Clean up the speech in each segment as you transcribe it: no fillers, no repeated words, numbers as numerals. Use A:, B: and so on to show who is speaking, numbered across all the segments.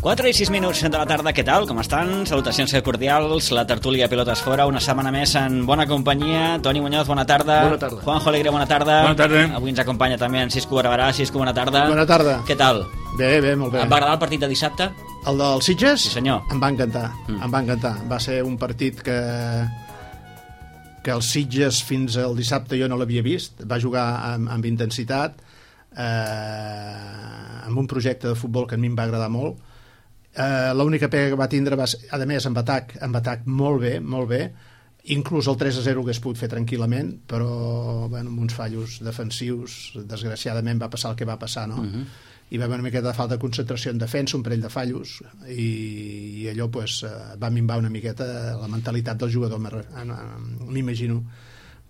A: 4 i 6 minuts de la tarda, què tal? Com estan? Salutacions cordials, la tertúlia Pilotes Fora, una setmana més en bona companyia. Toni Muñoz, bona tarda.
B: Bona tarda.
A: Juanjo Alegre, bona tarda.
B: Bona tarda.
A: Avui ens acompanya també en Cisco Barberà. Cisco, bona tarda.
C: Bona tarda.
A: Què tal?
C: Bé, molt bé.
A: Et va agradar el partit de dissabte?
C: El del Sitges?
A: Sí, senyor.
C: Em va encantar, em va encantar. Va ser un partit que el Sitges fins al dissabte jo no l'havia vist. Va jugar amb intensitat, amb un projecte de futbol que a mi em va agradar molt. L'única pega que va tindre va ser, a més, amb atac molt bé, inclús el 3-0 ho hagués pogut fer tranquil·lament, però bueno, amb uns fallos defensius desgraciadament va passar el que va passar, no? Hi va haver una miqueta de falta de concentració en defensa, un parell de fallos, i allò pues, va minvar una miqueta la mentalitat del jugador, m'imagino.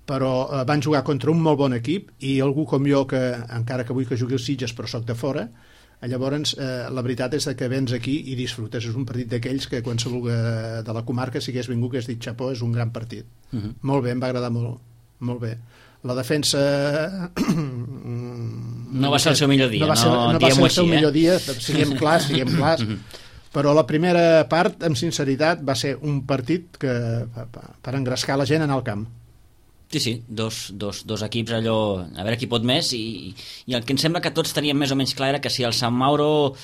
C: Però van jugar contra un molt bon equip i algú com jo, que encara que vull que jugui el Sitges però soc de fora, llavors la veritat és que vens aquí i disfrutes. És un partit d'aquells que qualsevol de la comarca, si hagués vingut, hagués dit xapó, és un gran partit. Molt bé, em va agradar molt bé. La defensa
A: no va ser el seu millor dia,
C: no va ser el seu millor dia, siguem clars, però la primera part, amb sinceritat, va ser un partit que per engrescar la gent anar al camp.
A: Sí, dos equips allò, a veure qui pot més, i el que em sembla que tots teníem més o menys clar era que si el Sant Mauro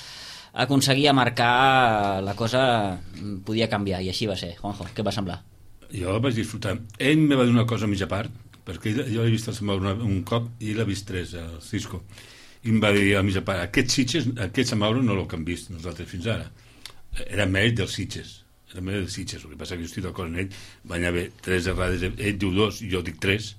A: aconseguia marcar, la cosa podia canviar, i així va ser. Juanjo, què va semblar?
B: Jo vaig disfrutar. Ell me va dir una cosa a mitja part, perquè jo l'he vist el Sant Mauro un cop i l'he vist tres, el Cisco, i em va dir a mitja part, aquest Sant Mauro no l'ho hem vist nosaltres fins ara, era mèrit dels Sitges. El que passa que jo estic d'acord amb ell, van haver 3 errades, ell diu 2, jo dic 3,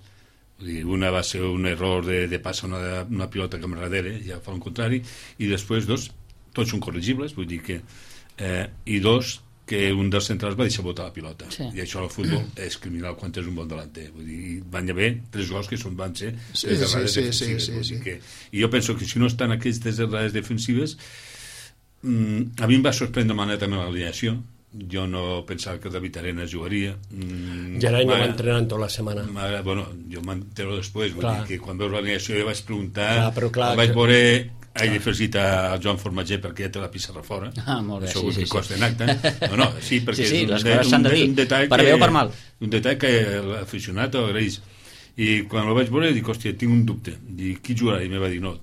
B: una va ser un error de passar una pilota cap darrere, ja fa el contrari, i després 2, tots són corregibles, vull dir que, i 2, que un dels centrals va deixar botar la pilota, i això al futbol és criminal quan tens un bon delanter, vull dir, van haver 3 gols que van ser 3 errades defensives, i jo penso que si no estan aquestes errades defensives, a mi em va sorprendre de manera també l'alineació. Jo no pensava que David Arenas jugaria.
D: Gerai no va entrenar tota la setmana.
B: Bueno, jo m'entero després, vull dir que quan veus l'alineació jo vaig preguntar, vaig veure he afegit a Joan Formatger perquè ja té la pissarra fora.
A: Molt bé,
B: això que costa en acte. Sí, perquè
A: les coses s'han de dir, per bé o per mal.
B: Un detall que l'aficionat ho agraeix. I quan el vaig veure dic, hòstia, tinc un dubte. Dic, qui jugarà? I em va dir, no,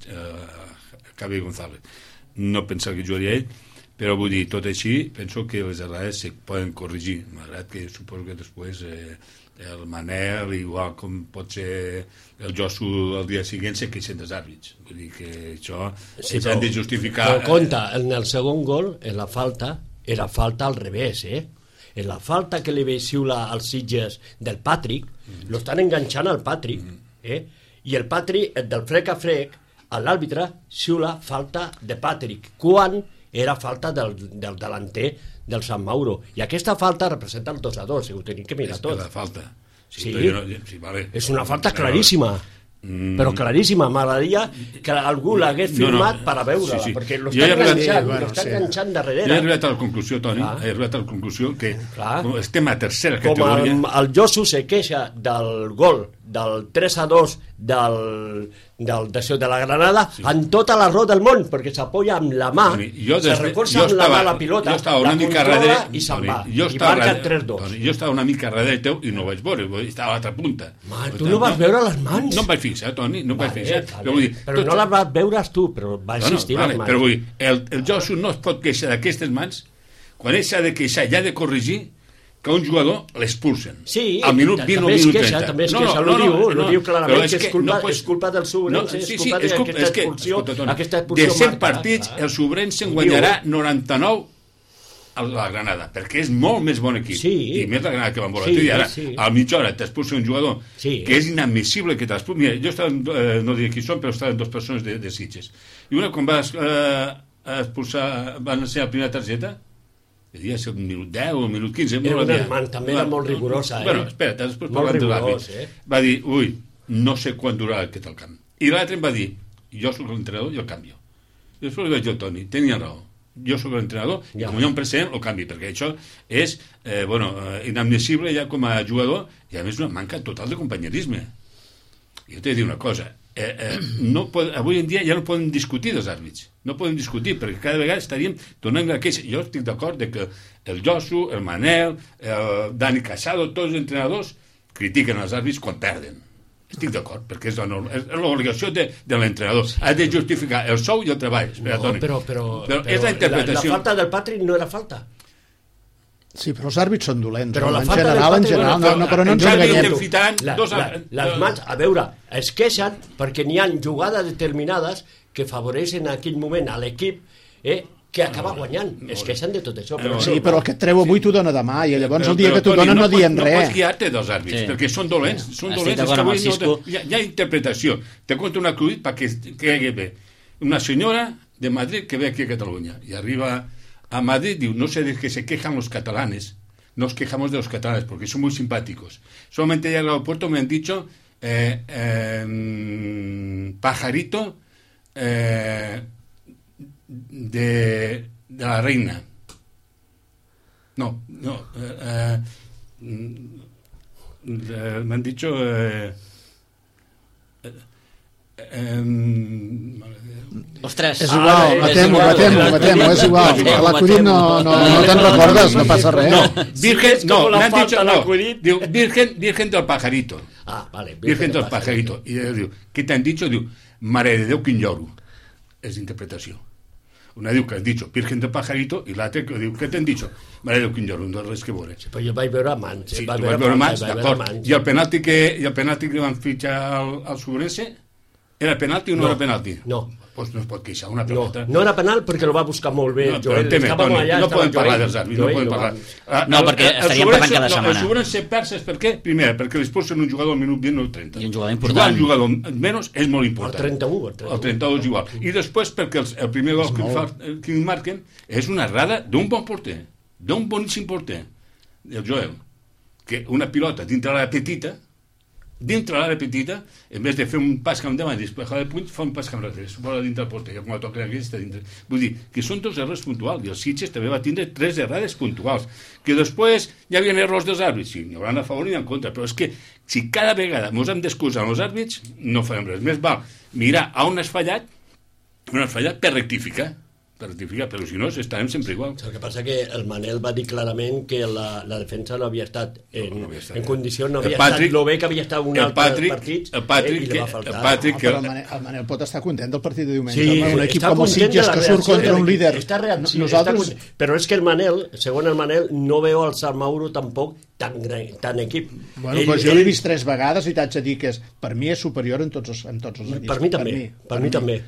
B: Cabe González. No pensava que jugaria ell, però vull dir, tot així, penso que les errades se poden corregir, malgrat que suposo que després el Manel, igual com pot ser el Josu el dia següent, se queixen dels àrbits. Vull dir que això s'han de justificar.
D: Però compte, en el segon gol, en la falta, era falta al revés, En la falta que li ve xiula als Sitges del Patrick, lo estan enganxant al Patrick, i el Patrick, del frec a frec, l'àrbitre xiula falta de Patrick, quan era falta del delanter del Sant Mauro, i aquesta falta representa el 2-2, ho tenim que mirar tot.
B: És la falta.
D: Sí, vale. És una falta claríssima, però claríssima. M'agradaria que algú l'hagués firmat per a veure-la, perquè l'està enganxant darrere.
B: Jo he arribat a la conclusió, Toni, que estem a tercera categoria.
D: Com el Josu se queixa del gol del 3-2 de la Granada, en tota la raó del món, perquè s'apoya amb la mà, se recolza amb la mà la pilota, la controla i se'n va, i marca 3-2.
B: Jo estava una mica darrere teu i no ho vaig veure, estava a l'altra punta.
D: Tu no vas veure les mans?
B: No em vaig fixar, Toni, no em vaig fixar.
D: Però no les vas veure tu, però va existir les mans.
B: Però vull dir, el Josu no es pot queixar d'aquestes mans, quan ell s'ha de queixar i ha de corregir, que un jugador l'expulsen.
D: Sí,
B: al minut 20 o minut 30.
D: També es queixa, ho diu clarament, que és culpa del Sobrense, és culpa d'aquesta expulsió.
B: De 100 partits, el Sobrense en guanyarà 99 a la Granada, perquè és molt més bon equip. I més la Granada que van voler. I ara, a mitja hora t'expulsa un jugador que és inadmissible que t'expulsi. Mira, jo estava, no diré qui són, però estaven 2 persones de Sitges. I una, quan va expulsar, van ser la primera targeta, devia ser un minut 10 o un minut 15.
D: També era molt rigorosa.
B: Bueno, espera't, després parlant de l'àrbit. Va dir, no sé quan durarà aquest al camp. I l'altre em va dir, jo soc l'entrenador i el canvio. I després li vaig dir al Toni, tenia raó. Jo soc l'entrenador i com hi ha un precedent el canvi, perquè això és inadmissible ja com a jugador, i a més una manca total de companyerisme. Jo t'he de dir una cosa, avui en dia ja no podem discutir dels àrbits, no podem discutir, perquè cada vegada estaríem donant la queixa. Jo estic d'acord que el Josu, el Manel, el Dani Casado, tots els entrenadors critiquen els àrbits quan perden. Estic d'acord, perquè és l'obligació de l'entrenador. Ha de justificar el sou i el treball. Espera,
D: No, però
B: és la interpretació.
D: la falta del Patrick no era falta.
C: Sí, però els àrbits són dolents.
D: Però la
C: en
D: falta
C: general,
D: del
C: en general,
D: Patrick-
C: però no ens enganyem.
D: Les mans, a veure, es queixen perquè n'hi ha jugades determinades que favoreixen en aquell moment a l'equip que acaba guanyant. Es queixen de tot això.
C: Sí, però el que et treu avui t'ho dona demà, i llavors el dia que t'ho donen no dient
B: No
C: res.
B: pots guiar-te dels àrbits, perquè són dolents. Són
A: Estic
B: dolents.
A: d'acord amb el Cisco.
B: Hi ha interpretació. Te conto un acudit perquè quedi bé. Una senyora de Madrid que ve aquí a Cataluña y arriba a Madrid, diu, no sé de qué se quejan los catalanes, nos quejamos de los catalanes porque son muy simpáticos. Solamente ya al aeropuerto me han dicho pajarito de la reina. No, me han dicho
A: Ostres,
C: És igual, matem-ho, és igual. L'acudit no te'n recordes, no passa res.
B: Virgen, no, me han dicho, no,
D: l'acudit.
B: diu, virgen del pajarito.
D: Vale.
B: Virgen del pajarito. I ella diu, què t'han dit? Diu, mare de Déu, quin lloro. És interpretació. Una diu que has dit Virgen del pajarito i l'altra que diu, què t'han dit? Mare de Déu, quin lloro, no res que veure.
D: Però jo vaig veure mans.
B: Sí, tu vas veure mans, d'acord. I el penalti que van fitxar al Sobrense, era penalti o no era penalti?
D: No.
B: Pues no es pot queixar, una pelota.
D: No era penal perquè el va buscar molt bé.
B: No, però no podem parlar dels àrbits, no podem parlar.
A: No, perquè estaríem parlant cada setmana.
B: El Sobrense perses, per què? Primer, perquè li expulsen un jugador al minut 20 o 30.
A: I un jugador important.
B: Jugar un jugador menys és molt important.
D: El 31.
B: El 31 és igual. I després perquè el primer gol que marquen és una errada d'un bon porter, d'un boníssim porter, el Joel, que una pilota dintre l'àrea petita, en vez de fer un pas cap endavant i despejar el puny, fa un pas cap enrere, vola dintre el porter, quan la toca aquesta dintre. Vull dir, que són dos errors puntuals, i el Sitges també va tindre 3 errades puntuals, que després hi havia errors dels àrbits, sí, n'hi haurà a favor i en contra, però és que si cada vegada ens hem d'excusar amb els àrbits, no farem res. Més val mirar on has fallat per rectificar, però si no estarem sempre igual.
D: El que passa que el Manel va dir clarament que la defensa no havia estat en condicions, no havia estat lo bé que havia estat un altre partit, i li va faltar.
C: Però el Manel pot estar content del partit de diumenge.
D: Sí,
C: un equip com el Sitges que surt contra un líder.
D: Nosaltres... Però és que el Manel, segons el Manel, no veu el Sant Mauro tampoc tan equip.
C: Bueno, doncs jo l'he vist 3 vegades i t'haig de dir que per mi és superior en tots els equips.
D: Per mi també.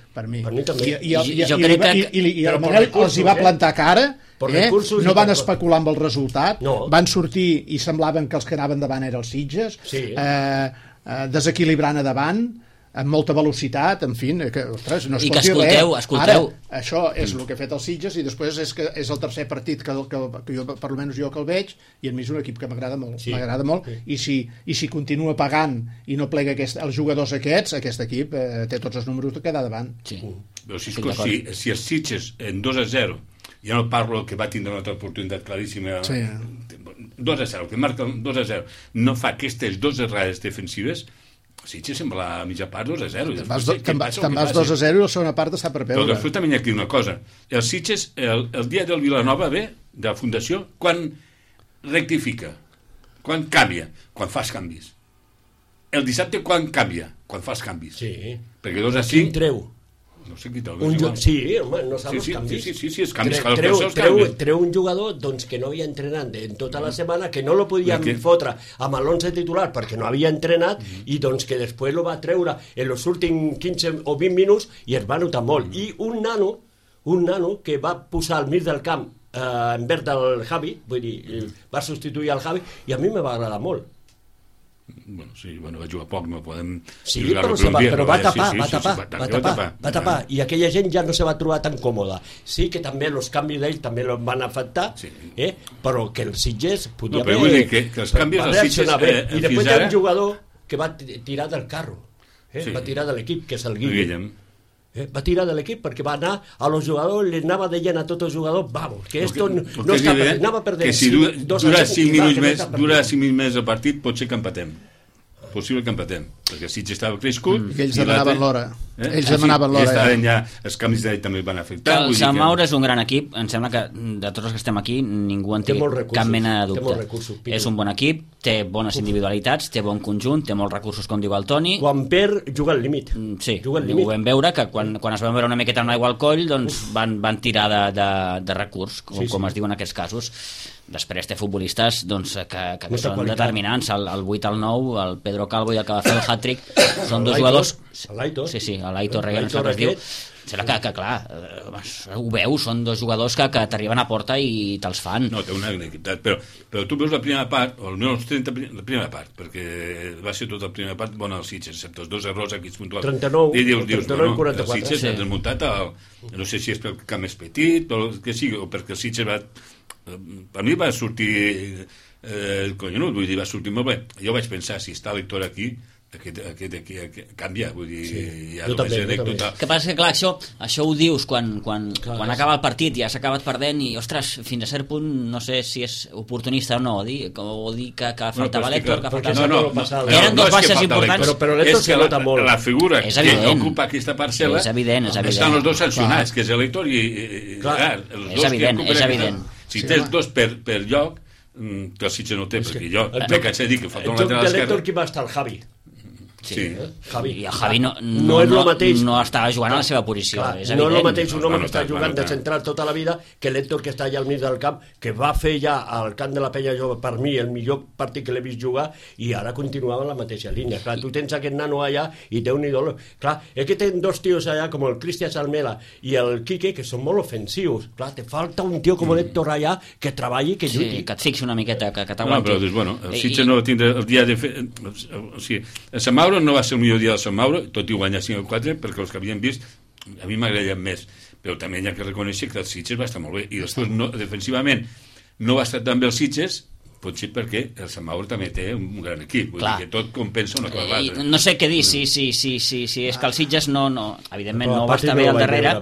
C: I el Manel els hi va plantar cara, no van especular amb el resultat, van sortir i semblaven que els que anaven davant eren els Sitges, desequilibrant a davant, amb molta velocitat, en fi, que, ostres, no es pot dir res.
A: Escolteu.
C: Ara, això és el que ha fet els Sitges i després és el tercer partit que jo, per almenys jo que el veig, i a mi és un equip que m'agrada molt, i si continua pagant i no plega els jugadors aquests, aquest equip té tots els números de quedar davant.
A: Sí.
B: Però si els Sitges en 2-0, ja no parlo que va tindre una altra oportunitat claríssima, 2-0, que marca 2-0, no fa aquestes 2 errades defensives, Sitges sembla a mitja part 2-0.
C: Te'n vas 2-0 i la segona part està per perdre.
B: Però després també hi ha aquí una cosa. El Sitges, el dia del Vilanova ve, de la Fundació, quan rectifica, quan canvia, quan fas canvis. El dissabte quan canvia, quan fas canvis.
D: Sí.
B: Perquè 2-5...
D: Quin treu?
B: No sé qui treu.
D: Sí, home, no saps els canvis.
B: Sí, els canvis.
D: Treu un jugador que no havia entrenat en tota la setmana, que no lo podien fotre amb l'11 titular perquè no havia entrenat i que després lo va treure en els últims 15 o 20 minuts i es va notar molt. I un nano que va posar al mig del camp en verd del Javi, vull dir, va substituir el Javi i a mi me va agradar molt.
B: Bueno, va jugar poc, no podem...
D: Sí, però va tapar, i aquella gent ja no se va trobar tan còmoda. Sí que també els canvis d'ell també el van afectar, però que el Sitges podia
B: haver... Vull dir que els canvis del Sitges
D: i després hi ha un jugador que va tirar del carro, va tirar de l'equip, que és el Guillem. Va tirar de l'equip perquè va anar a los jugadors, li anava deient a tots els jugadors, vamos, que esto no està perdent, anava perdent.
B: Que si dura 5 minuts més el partit, pot ser que empatem. possible que empatem, perquè el Sitges estava crescut
C: I ells demanaven l'hora. Ells demanaven
B: l'hora.
C: l'hora.
B: Ja, els canvis d'edat també van afectar.
A: El Sant Mauro és un gran equip. Em sembla que de tots els que estem aquí ningú en té cap mena de dubte. És un bon equip, té bones individualitats, té bon conjunt, té molts recursos, com diu el Toni.
D: Quan perd, juga al límit.
A: Sí, ho vam veure, que quan es van veure una miqueta amb l'aigua al coll, doncs van tirar de recurs, com es diu en aquests casos. Després té futbolistes doncs, que són determinants. El 8 al 9, el Pedro Calvo i el que va fer el hat-trick, són dos jugadors...
D: L'Aitor.
A: Sí, l'Aitor Reguer, no sé què es diu. Sembla que clar, ho veus, són dos jugadors que t'arriben a porta i te'ls fan.
B: No, té una equitat, però tu veus la primera part, o almenys la primera part, perquè va ser tota la primera part bona als Sitges, excepte els dos errors aquí puntuals.
D: 39
B: i dius,
D: 44.
B: Els Sitges s'han desmuntat, no sé si és pel camp més petit, o que sigui, o perquè el Sitges va... Per mi va sortir collonut, vull dir, va sortir molt bé. Jo vaig pensar, si està l'Hector aquí, aquest canvia, vull dir, ja
D: jo també.
A: El que passa és que, clar, això ho dius quan acaba el partit, ja s'ha acabat perdent i, ostres, fins a cert punt, no sé si és oportunista o no, o dir que faltava l'Hector, que faltava... Eren dos baixes importants.
D: Però l'Hector se nota molt.
B: La figura que ocupa aquesta parcel·la estan els dos sancionats, que és l'Hector i...
A: És evident.
B: Si tens dos per lloc, que el Sitges no té, perquè jo m'he cansat de dir que falta un lateral esquerre.
D: El joc de l'Hector qui va estar el Javi.
B: Sí.
D: Javi.
A: I el Javi no estava jugant a la seva posició, és evident.
D: No és el mateix un home que està jugant de central tota la vida que l'Hector que està allà al mig del camp, que va fer ja al camp de la Penya Jove, per mi, el millor partit que l'he vist jugar, i ara continuava en la mateixa línia. Clar, tu tens aquest nano allà i té un ídol. Clar, és que tens dos tios allà, com el Cristian Salmela i el Quique, que són molt ofensius. Clar, te falta un tio com l'Hector allà que treballi, que lluiti.
A: Sí, que et fixi una miqueta, que t'aguanti.
B: No, però dius, bueno, el Sitges no tindrà el dia de fer... O sigui, el Sant Mauro no va ser el millor dia del Sant Mauro, tot i guanyar 5-4, perquè els que havien vist a mi m'agradaven més, però també hi ha que reconèixer que el Sitges va estar molt bé, i després defensivament no va estar tan bé el Sitges, potser perquè el Sant Mauro també té un gran equip, vull dir que tot compensa una cosa a l'altra.
A: No sé què dir, si és que el Sitges evidentment no va estar bé al darrere,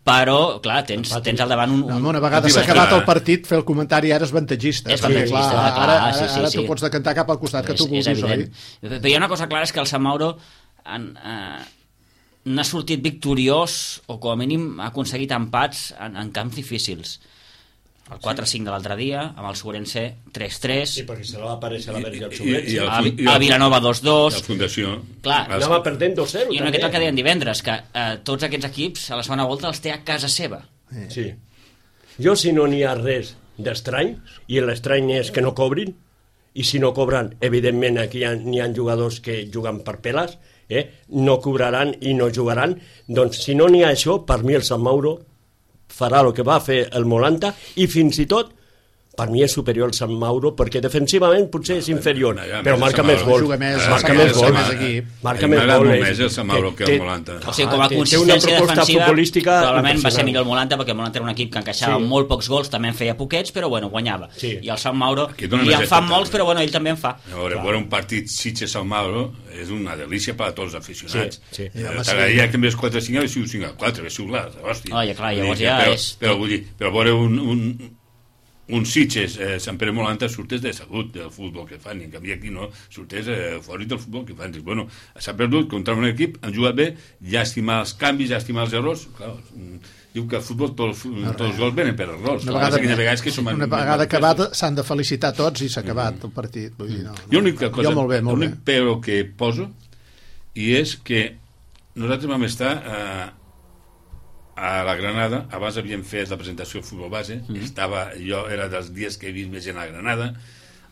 A: però, clar, tens al davant
C: una vegada s'ha acabat el partit, fer el comentari ara és avantatgista. Ara tu pots decantar cap al costat que tu vulguis, oi?
A: Però hi ha una cosa clara, és que el Sant Mauro n'ha sortit victoriós, o com a mínim ha aconseguit empats en camps difícils. El 4-5 de l'altre dia, amb el Sobrense 3-3.
D: Sí, perquè se va aparèixer la Verge al Sobrense.
A: A Vilanova 2-2.
B: La Fundació.
A: Clar,
D: anava perdent 2-0.
A: I una miqueta el que deien divendres, que tots aquests equips a la segona volta els té a casa seva.
D: Sí. Jo, si no n'hi ha res d'estrany, i l'estrany és que no cobrin, i si no cobren, evidentment aquí n'hi ha jugadors que juguen per peles, no cobraran i no jugaran, doncs si no n'hi ha això, per mi el Sant Mauro farà el que va fer el Molanta, i fins i tot per mi és superior al Sant Mauro, perquè defensivament potser és inferior, però marca més gol. Marca més gol.
B: Marca més gol. Més el Sant Mauro que el Molanta.
A: O sigui, com a consistència defensiva, probablement va ser millor el Molanta, perquè el Molanta era un equip que encaixava molt pocs gols, també en feia poquets, però bueno, guanyava. I el Sant Mauro, i en fan molts, però bueno, ell també en fa.
B: A veure, un partit Sitges-Sant Mauro és una delícia per a tots els aficionats. T'agradaria que en vez 4-5 hagués sigut 5-4, hagués sigut clar, hòstia.
A: Clar, llavors ja és...
B: Però vull dir, però veure un Sitges, Sant Pere Molanta surtes de salut del futbol que fan, i en canvi aquí no, surtes fora del futbol que fan. Dius, bueno, s'ha perdut contra un equip, han jugat bé, llàstima els canvis, llàstima els errors. Clar, diu que al futbol tots els gols venen per errors.
C: Una vegada acabat s'han de felicitar tots i s'ha acabat el partit. Vull dir,
B: l'únic però que poso i és que nosaltres vam estar a la Granada, abans havíem fet la presentació de futbol base, jo era dels dies que he vist més gent a la Granada,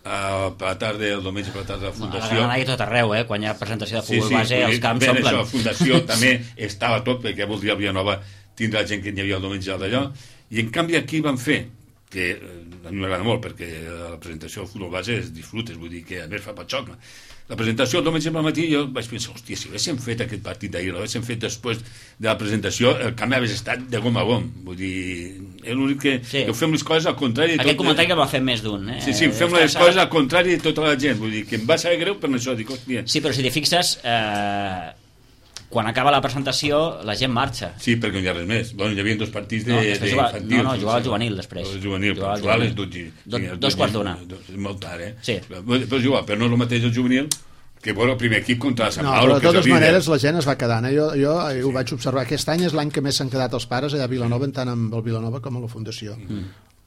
B: per la tarda, el diumenge per la tarda de la Fundació.
A: A la Granada i tot arreu, quan hi ha presentació de futbol base, els camps s'omplen.
B: La Fundació també estava tot, perquè voldria el Vilanova tindre la gent que hi havia el diumenge d'allò, i en canvi aquí van fer, que a mi m'agrada molt, perquè la presentació del futbol base es disfrutes, vull dir que a més fa patxoc. La presentació el diumenge al matí jo vaig pensar, hòstia, si haguéssim fet aquest partit d'ahir, l'haguéssim fet després de la presentació, el canvi hagués estat de gom a gom. Vull dir, és l'únic que fem les coses al contrari.
A: Aquest comentari que va fer més d'un.
B: Sí, fem les coses al contrari de tota la gent. Vull dir, que em va saber greu per això. Dic, hòstia.
A: Sí, però si t'hi fixes, quan acaba la presentació, la gent marxa.
B: Sí, perquè no hi ha res més. Bueno, hi havia dos partits d'infantils.
A: No, jugava al juvenil després.
B: Jugava a les 12.
A: 2 quarts d'una.
B: Molt tard,
A: Sí.
B: Però jugava, però no és el mateix el juvenil que bueno, el primer equip contra el Sant
C: No,
B: Mauro,
C: però de
B: que és el
C: totes
B: líder.
C: maneres la gent es va quedant. Jo ho vaig observar. Aquest any és l'any que més s'han quedat els pares allà a Vilanova, tant amb el Vilanova com a la Fundació.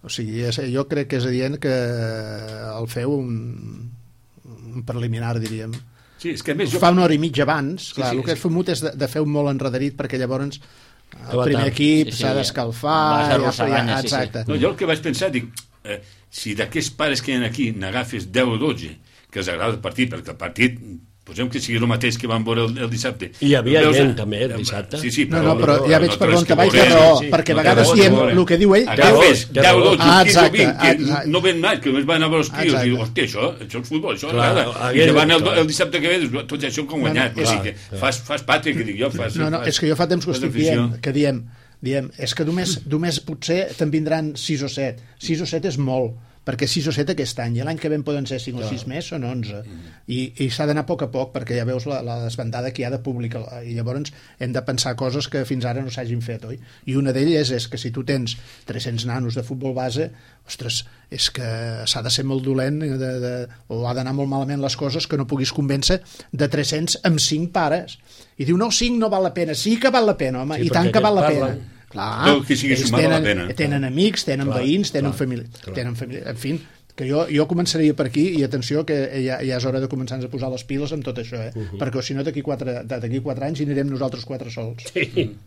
C: O sigui, jo crec que és adient que el feu un preliminar, diríem.
B: Sí, és que a més jo...
C: Fa una hora i mitja abans. Clar,
B: sí,
C: el que és fumut és de fer un molt enrederit, perquè llavors el
D: va
C: primer
D: tard.
C: equip
A: Sí,
C: s'ha
A: vas
C: d'escalfar.
A: arrossegant, sí, sí.
C: Exacte.
B: No, jo el que vaig pensar, dic, si d'aquests pares que hi ha aquí n'agafes 10 o 12 que els agrada el partit, perquè el partit posem que sigui el mateix que van veure el dissabte.
D: I hi havia
B: Veus,
D: gent també el dissabte.
B: Sí, sí,
C: No, però ja veig per on te vaig,
B: veure,
C: però
D: sí,
C: perquè a
B: no té
C: vegades
B: raó,
C: diem
B: no té
C: el que diu ell.
B: Agafes 10 o 12, 15 o
C: exacte,
B: 20, que
C: exacte.
B: no ven mai, que només van a veure els tios,
C: Exacte.
B: i diu, hòstia, això és futbol, això
D: Clar,
B: agrada. I
D: aquell-
B: que van
D: clar.
B: el dissabte que ve, dius, tot això com guanyat.
C: No,
B: O
C: no,
B: sigui que fas pàtria, que dic jo.
C: No, és que jo fa temps que ho estic dient, que diem, és que només potser te'n vindran 6 o 7. 6 o 7 és molt, perquè 6 o 7 aquest any, i l'any que ve en poden ser 5 o 6 més, són 11. I s'ha d'anar a poc, perquè ja veus la desbandada que hi ha de públic, i llavors hem de pensar coses que fins ara no s'hagin fet, oi? I una d'elles és que si tu tens 300 nanos de futbol base, ostres, és que s'ha de ser molt dolent o ha d'anar molt malament les coses que no puguis convèncer de 300 amb 5 pares. I diu, no, 5 no val la pena. Sí que val la pena, home,
D: Sí,
C: i tant
D: perquè
C: que val la
D: parlen.
C: pena. Clar,
B: No, que sigui
C: ells
B: sumar la pena.
C: tenen amics, tenen veïns, tenen família, en fi, que jo començaria per aquí, i atenció que ja és hora de començar a posar les piles amb tot això, perquè si no d'aquí 4 anys hi anirem nosaltres 4 sols.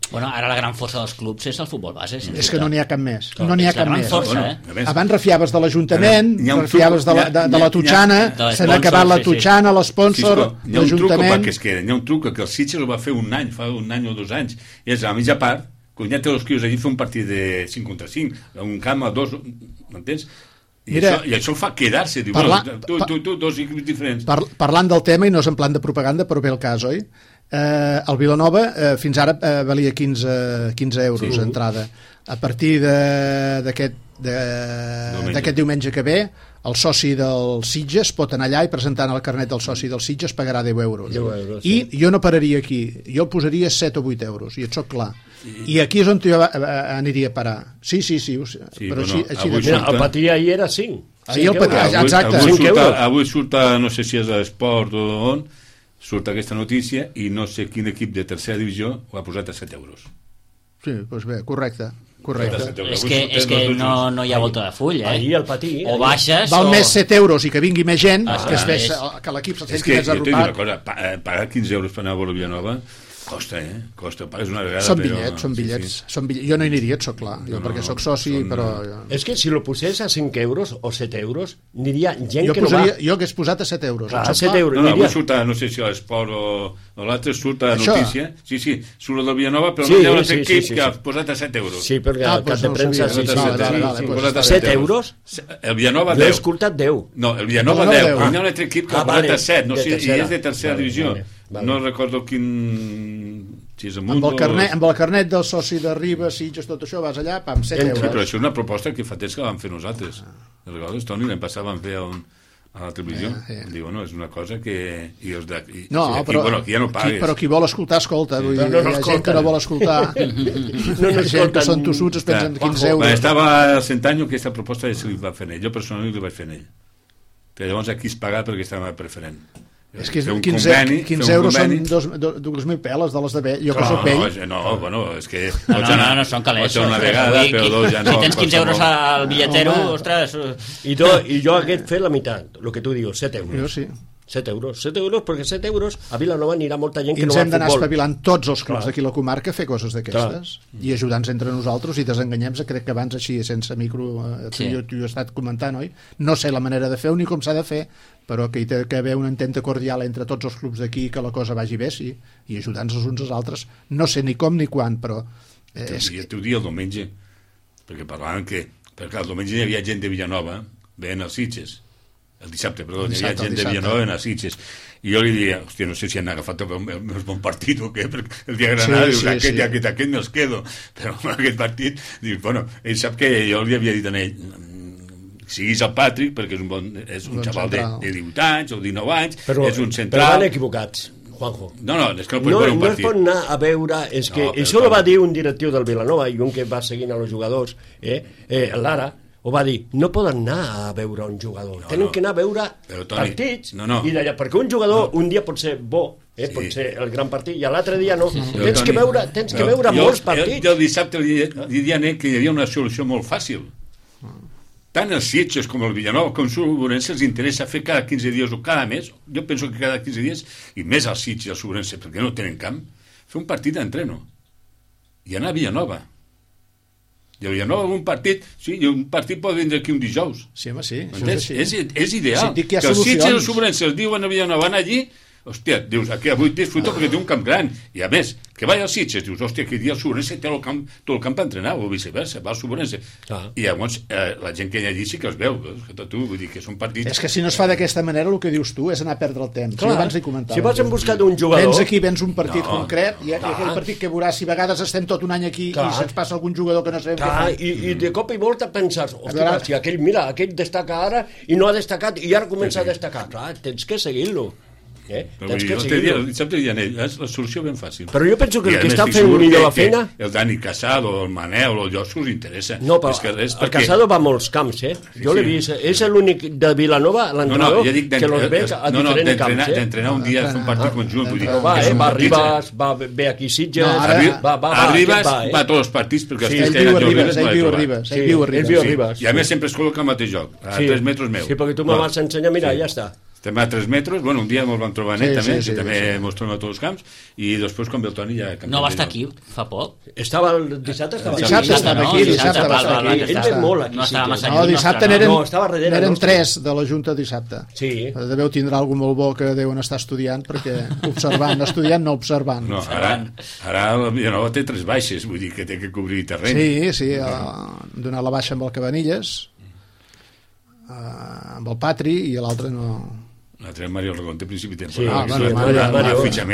A: Bueno, ara la gran força dels clubs és el futbol base.
C: És que no n'hi ha cap més, no n'hi ha
A: És la
C: cap
A: gran
C: més.
A: força,
B: A més,
C: Abans refiaves de l'Ajuntament,
B: Hi ha un
C: refiaves
B: truc,
C: de la Totxana,
A: de
C: se n'ha acabat la
A: l'esponsor, sí, sí.
C: Totxana, l'esponsor,
B: hi ha un truc
C: l'Ajuntament...
B: que es queda, hi ha un truc que el Sitges ho va fer fa un any o 2 anys, i és a la mitja part, quan ja té els quios allí, fer un partit de 5 contra 5, un camp a 2, m'entens? I això el fa quedar-se, diu, tu, 2 equips diferents.
C: Parlant del tema, i no és en plan de propaganda, però bé el cas, oi? El Vilanova fins ara valia 15 euros d'entrada. A partir d'aquest diumenge que ve, el soci del Sitges pot anar allà i presentant el carnet del soci del Sitges pagarà 10 euros.
D: 10 euros,
C: I jo no pararia aquí, jo posaria 7 o 8 euros, i et soc clar. I aquí és on jo aniria a parar. Sí, però
B: bueno,
C: així
B: avui
C: de...
D: Mira, el patí ahir era 5.
C: Ahir el patí, exacte.
B: Avui surt, no sé si és a l'Esport o on, surt aquesta notícia i no sé quin equip de tercera divisió ho ha posat a 7 euros.
C: Sí, doncs bé, correcte.
A: És que no hi ha volta de full,
D: Ahir al patí.
A: O baixes
C: Val
A: o...
C: més 7 euros i que vingui més gent,
A: és...
C: que l'equip se
B: És
C: senti
B: que
C: més
B: jo t'he dit una
C: arropat.
B: cosa, pagar 15 euros per anar a veure Vilanova costa, pagues una vegada.
C: Són bitllets. Jo no hi aniria, et soc clar, perquè sóc soci, però...
D: És que si lo posés a 5 euros o 7 euros, aniria gent
C: Jo
D: que no va.
C: hagués posat a 7 euros.
D: Clar,
C: et
D: a
C: sóc
D: 7
C: clar?
D: euros.
B: No, avui
D: aniria...
B: surt a, no sé si a l'Esport o l'altre, surt a
C: Això?
B: notícia. Sí, surt a del Vilanova, però
D: Sí,
B: no hi ha un
D: sí,
B: equip
D: sí,
B: que ha
D: sí.
B: posat a 7 euros.
D: Sí, perquè
C: Ah,
D: al cap
C: doncs
D: de
C: no ho
D: premsa...
C: sabia.
D: Sí,
C: Vale,
B: posat a
D: 7 euros?
B: El Vilanova
D: No he
B: 10.
D: escoltat 10.
B: No, el Vilanova
C: No,
B: 10.
C: no,
B: Hi ha
C: 10.
B: un altre equip que
D: Ah,
B: ha posat
D: vale,
B: a 7, no
D: de
B: sé, i
D: tercera.
B: és de tercera
D: Vale,
B: divisió.
D: vale.
B: No recordo quin... Si és amunt
C: Amb el carnet del soci de Ribes, Sitges, tot això, vas allà, pam, 7
B: Sí, però
C: euros.
B: això és una proposta que fa temps que vam fer nosaltres. Recordes, Toni? L'any passat vam fer a la televisió. Diu, bueno, és una cosa que...
C: No,
B: aquí, bueno, aquí ja no pagues.
C: però qui vol escoltar, escolta. Vull dir,
D: no
C: hi ha gent que no vol escoltar.
D: No
C: Hi ha gent que són tossuts, es pensen 15 euros.
B: Estava al Centanyo que aquesta proposta se li va fer ell. Jo personalment li vaig fer ell. Però llavors aquí es paga perquè estava preferent.
C: És que
B: Fer un
C: 15 euros són 2.000 peles de les de vell. Jo que soc vell.
B: No, bueno, és que...
A: No, són calés.
B: Pots anar una vegada, però dos ja no.
A: Si tens 15 euros al bitlletero, ostres...
D: I jo hagués fet la meitat, el que tu dius, 7 euros.
C: Jo sí.
D: 7 euros, perquè 7 euros a Vilanova anirà molta gent
C: I
D: que no
C: ens
D: va
C: hem
D: a
C: d'anar
D: futbol.
C: espavilant tots els clubs
D: Clar.
C: d'aquí la comarca a fer coses d'aquestes i ajudar-nos entre nosaltres i desenganyem-nos. Crec que abans així, sense micro, tu i jo he estat comentant, oi? No sé la manera de fer ni com s'ha de fer, però que hi té que haver una ententa cordial entre tots els clubs d'aquí, que la cosa vagi bé, sí, i ajudar-nos els uns als altres. No sé ni com ni quan, però...
B: Jo t'ho dia el diumenge, perquè parlaven que... Perquè el diumenge hi havia gent de Villanova, veient els Sitges. El dissabte, perdó, hi havia gent de Villanova en els Sitges. I jo li diria, hòstia, no sé si han agafat el meu bon partit o què, perquè el dia de Granada dius, aquest me'ls quedo. Però aquest partit, dius, bueno, ell sap que jo li havia dit a ell, siguis el Patrick, perquè és un xaval de 18 anys o 19 anys, és un central...
D: Però van equivocats, Juanjo.
B: No, és que no pot veure un partit.
D: No es pot anar a veure... És que això ho va dir un directiu del Vilanova i un que va seguint a los jugadors, Lara, ho va dir, no poden anar a veure un jugador, tenen que anar a veure partits, i d'allà, perquè un jugador un dia pot ser bo, pot ser el gran partit, i l'altre dia no. Tens que veure molts partits.
B: Jo dissabte li deia a Nec que hi havia una solució molt fàcil. Tant els Sitges com el Villanova com el Sobrense els interessa fer cada 15 dies o cada mes, jo penso que cada 15 dies, i més als Sitges i al Sobrense, perquè no tenen camp, fer un partit d'entreno i anar a Villanova. I a Villanova un partit, sí, un partit pot vindre aquí un dijous.
C: Sí, home, sí.
B: És ideal. Que els Sitges i els Sobrense els diuen a Villanova, van allí, hòstia, dius, aquí avui disfruto perquè té un camp gran, i a més, que vaya als Sitges, dius, hòstia, que dia el Sobrense té tot el camp per entrenar, o viceversa, va al Sobrense, i llavors la gent que hi ha allí sí que els veu, que tu, vull dir que són partits...
C: És que si no es fa d'aquesta manera, el que dius tu és anar a perdre el temps.
D: Clar,
C: abans hi comentava.
D: si vas en buscat un jugador...
C: Vens aquí, vens un partit concret, i aquell partit que veuràs, si a vegades estem tot un any aquí i se'ns passa algun jugador que no sabem què fa.
D: I de cop i volta penses, hòstia, si aquell destaca ara i no ha destacat i ara comença a destacar. Clar, tens que seguir-lo.
B: Dissabte Llanell, és la solució ben fàcil.
D: Però jo penso que el que està fent millor la feina...
B: El Dani Casado, el Manel, el Llosco us interessa.
D: No, però el Casado va a molts camps, Jo l'he vist. És l'únic de Vilanova, l'entrenador, que los ve a diferents camps.
B: D'entrenar un dia, fer un partit conjunt.
D: Va Ribas, va bé aquí Sitges...
B: Arribas va a tots els partits, perquè
C: ell viu a Ribas.
B: I a més sempre es col·loca al mateix joc, a 3 metres meu.
D: Sí, perquè tu me vas ensenyar, mira, ja està.
B: Estem a 3 metres, bueno, un dia ens vam trobar net també, que també ens trobem a tots els camps, i després quan ve el Toni ja...
A: No va estar aquí fa poc?
D: Dissabte
C: estava aquí.
D: Ell ve molt aquí.
C: No, dissabte n'eren 3 de la Junta dissabte.
D: Sí.
C: Deveu tindre algú molt bo que deuen estar estudiant, perquè estudiant no observant.
B: No, ara la Villanova té 3 baixes, vull dir que té que cobrir terreny.
C: Sí, donar la baixa amb el Cabanilles, amb el Patri, i l'altre no...
B: L'altre Mario Regonte, principi de
D: temporada.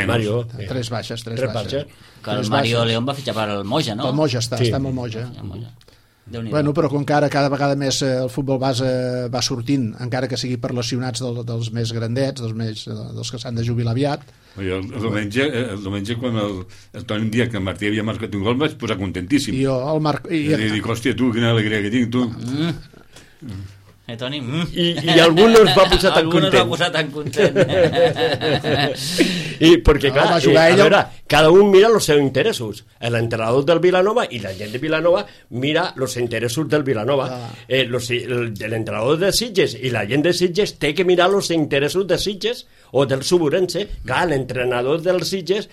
D: Mario.
C: 3 baixes.
A: Que el Mario León va fitxar per el Moja, no?
C: El Moja està amb el Moja. Bueno, però com que ara cada vegada més el futbol base va sortint, encara que sigui per lesionats dels més grandets, dels que s'han de jubilar aviat.
B: El diumenge quan el Toni em dia que el Martí havia marcat un gol, vaig posar contentíssim.
C: I jo, el Marc...
B: I dic, hòstia, tu, quina alegria que tinc, tu.
A: Toni?
D: I algú no es va posar tan content. I perquè, clar, a veure, cada un mira els seus interessos. L'entrenador del Vilanova i la gent de Vilanova mira els interessos del Vilanova. L'entrenador de Sitges i la gent de Sitges té que mirar els interessos de Sitges o del Suburense. Clar, l'entrenador dels Sitges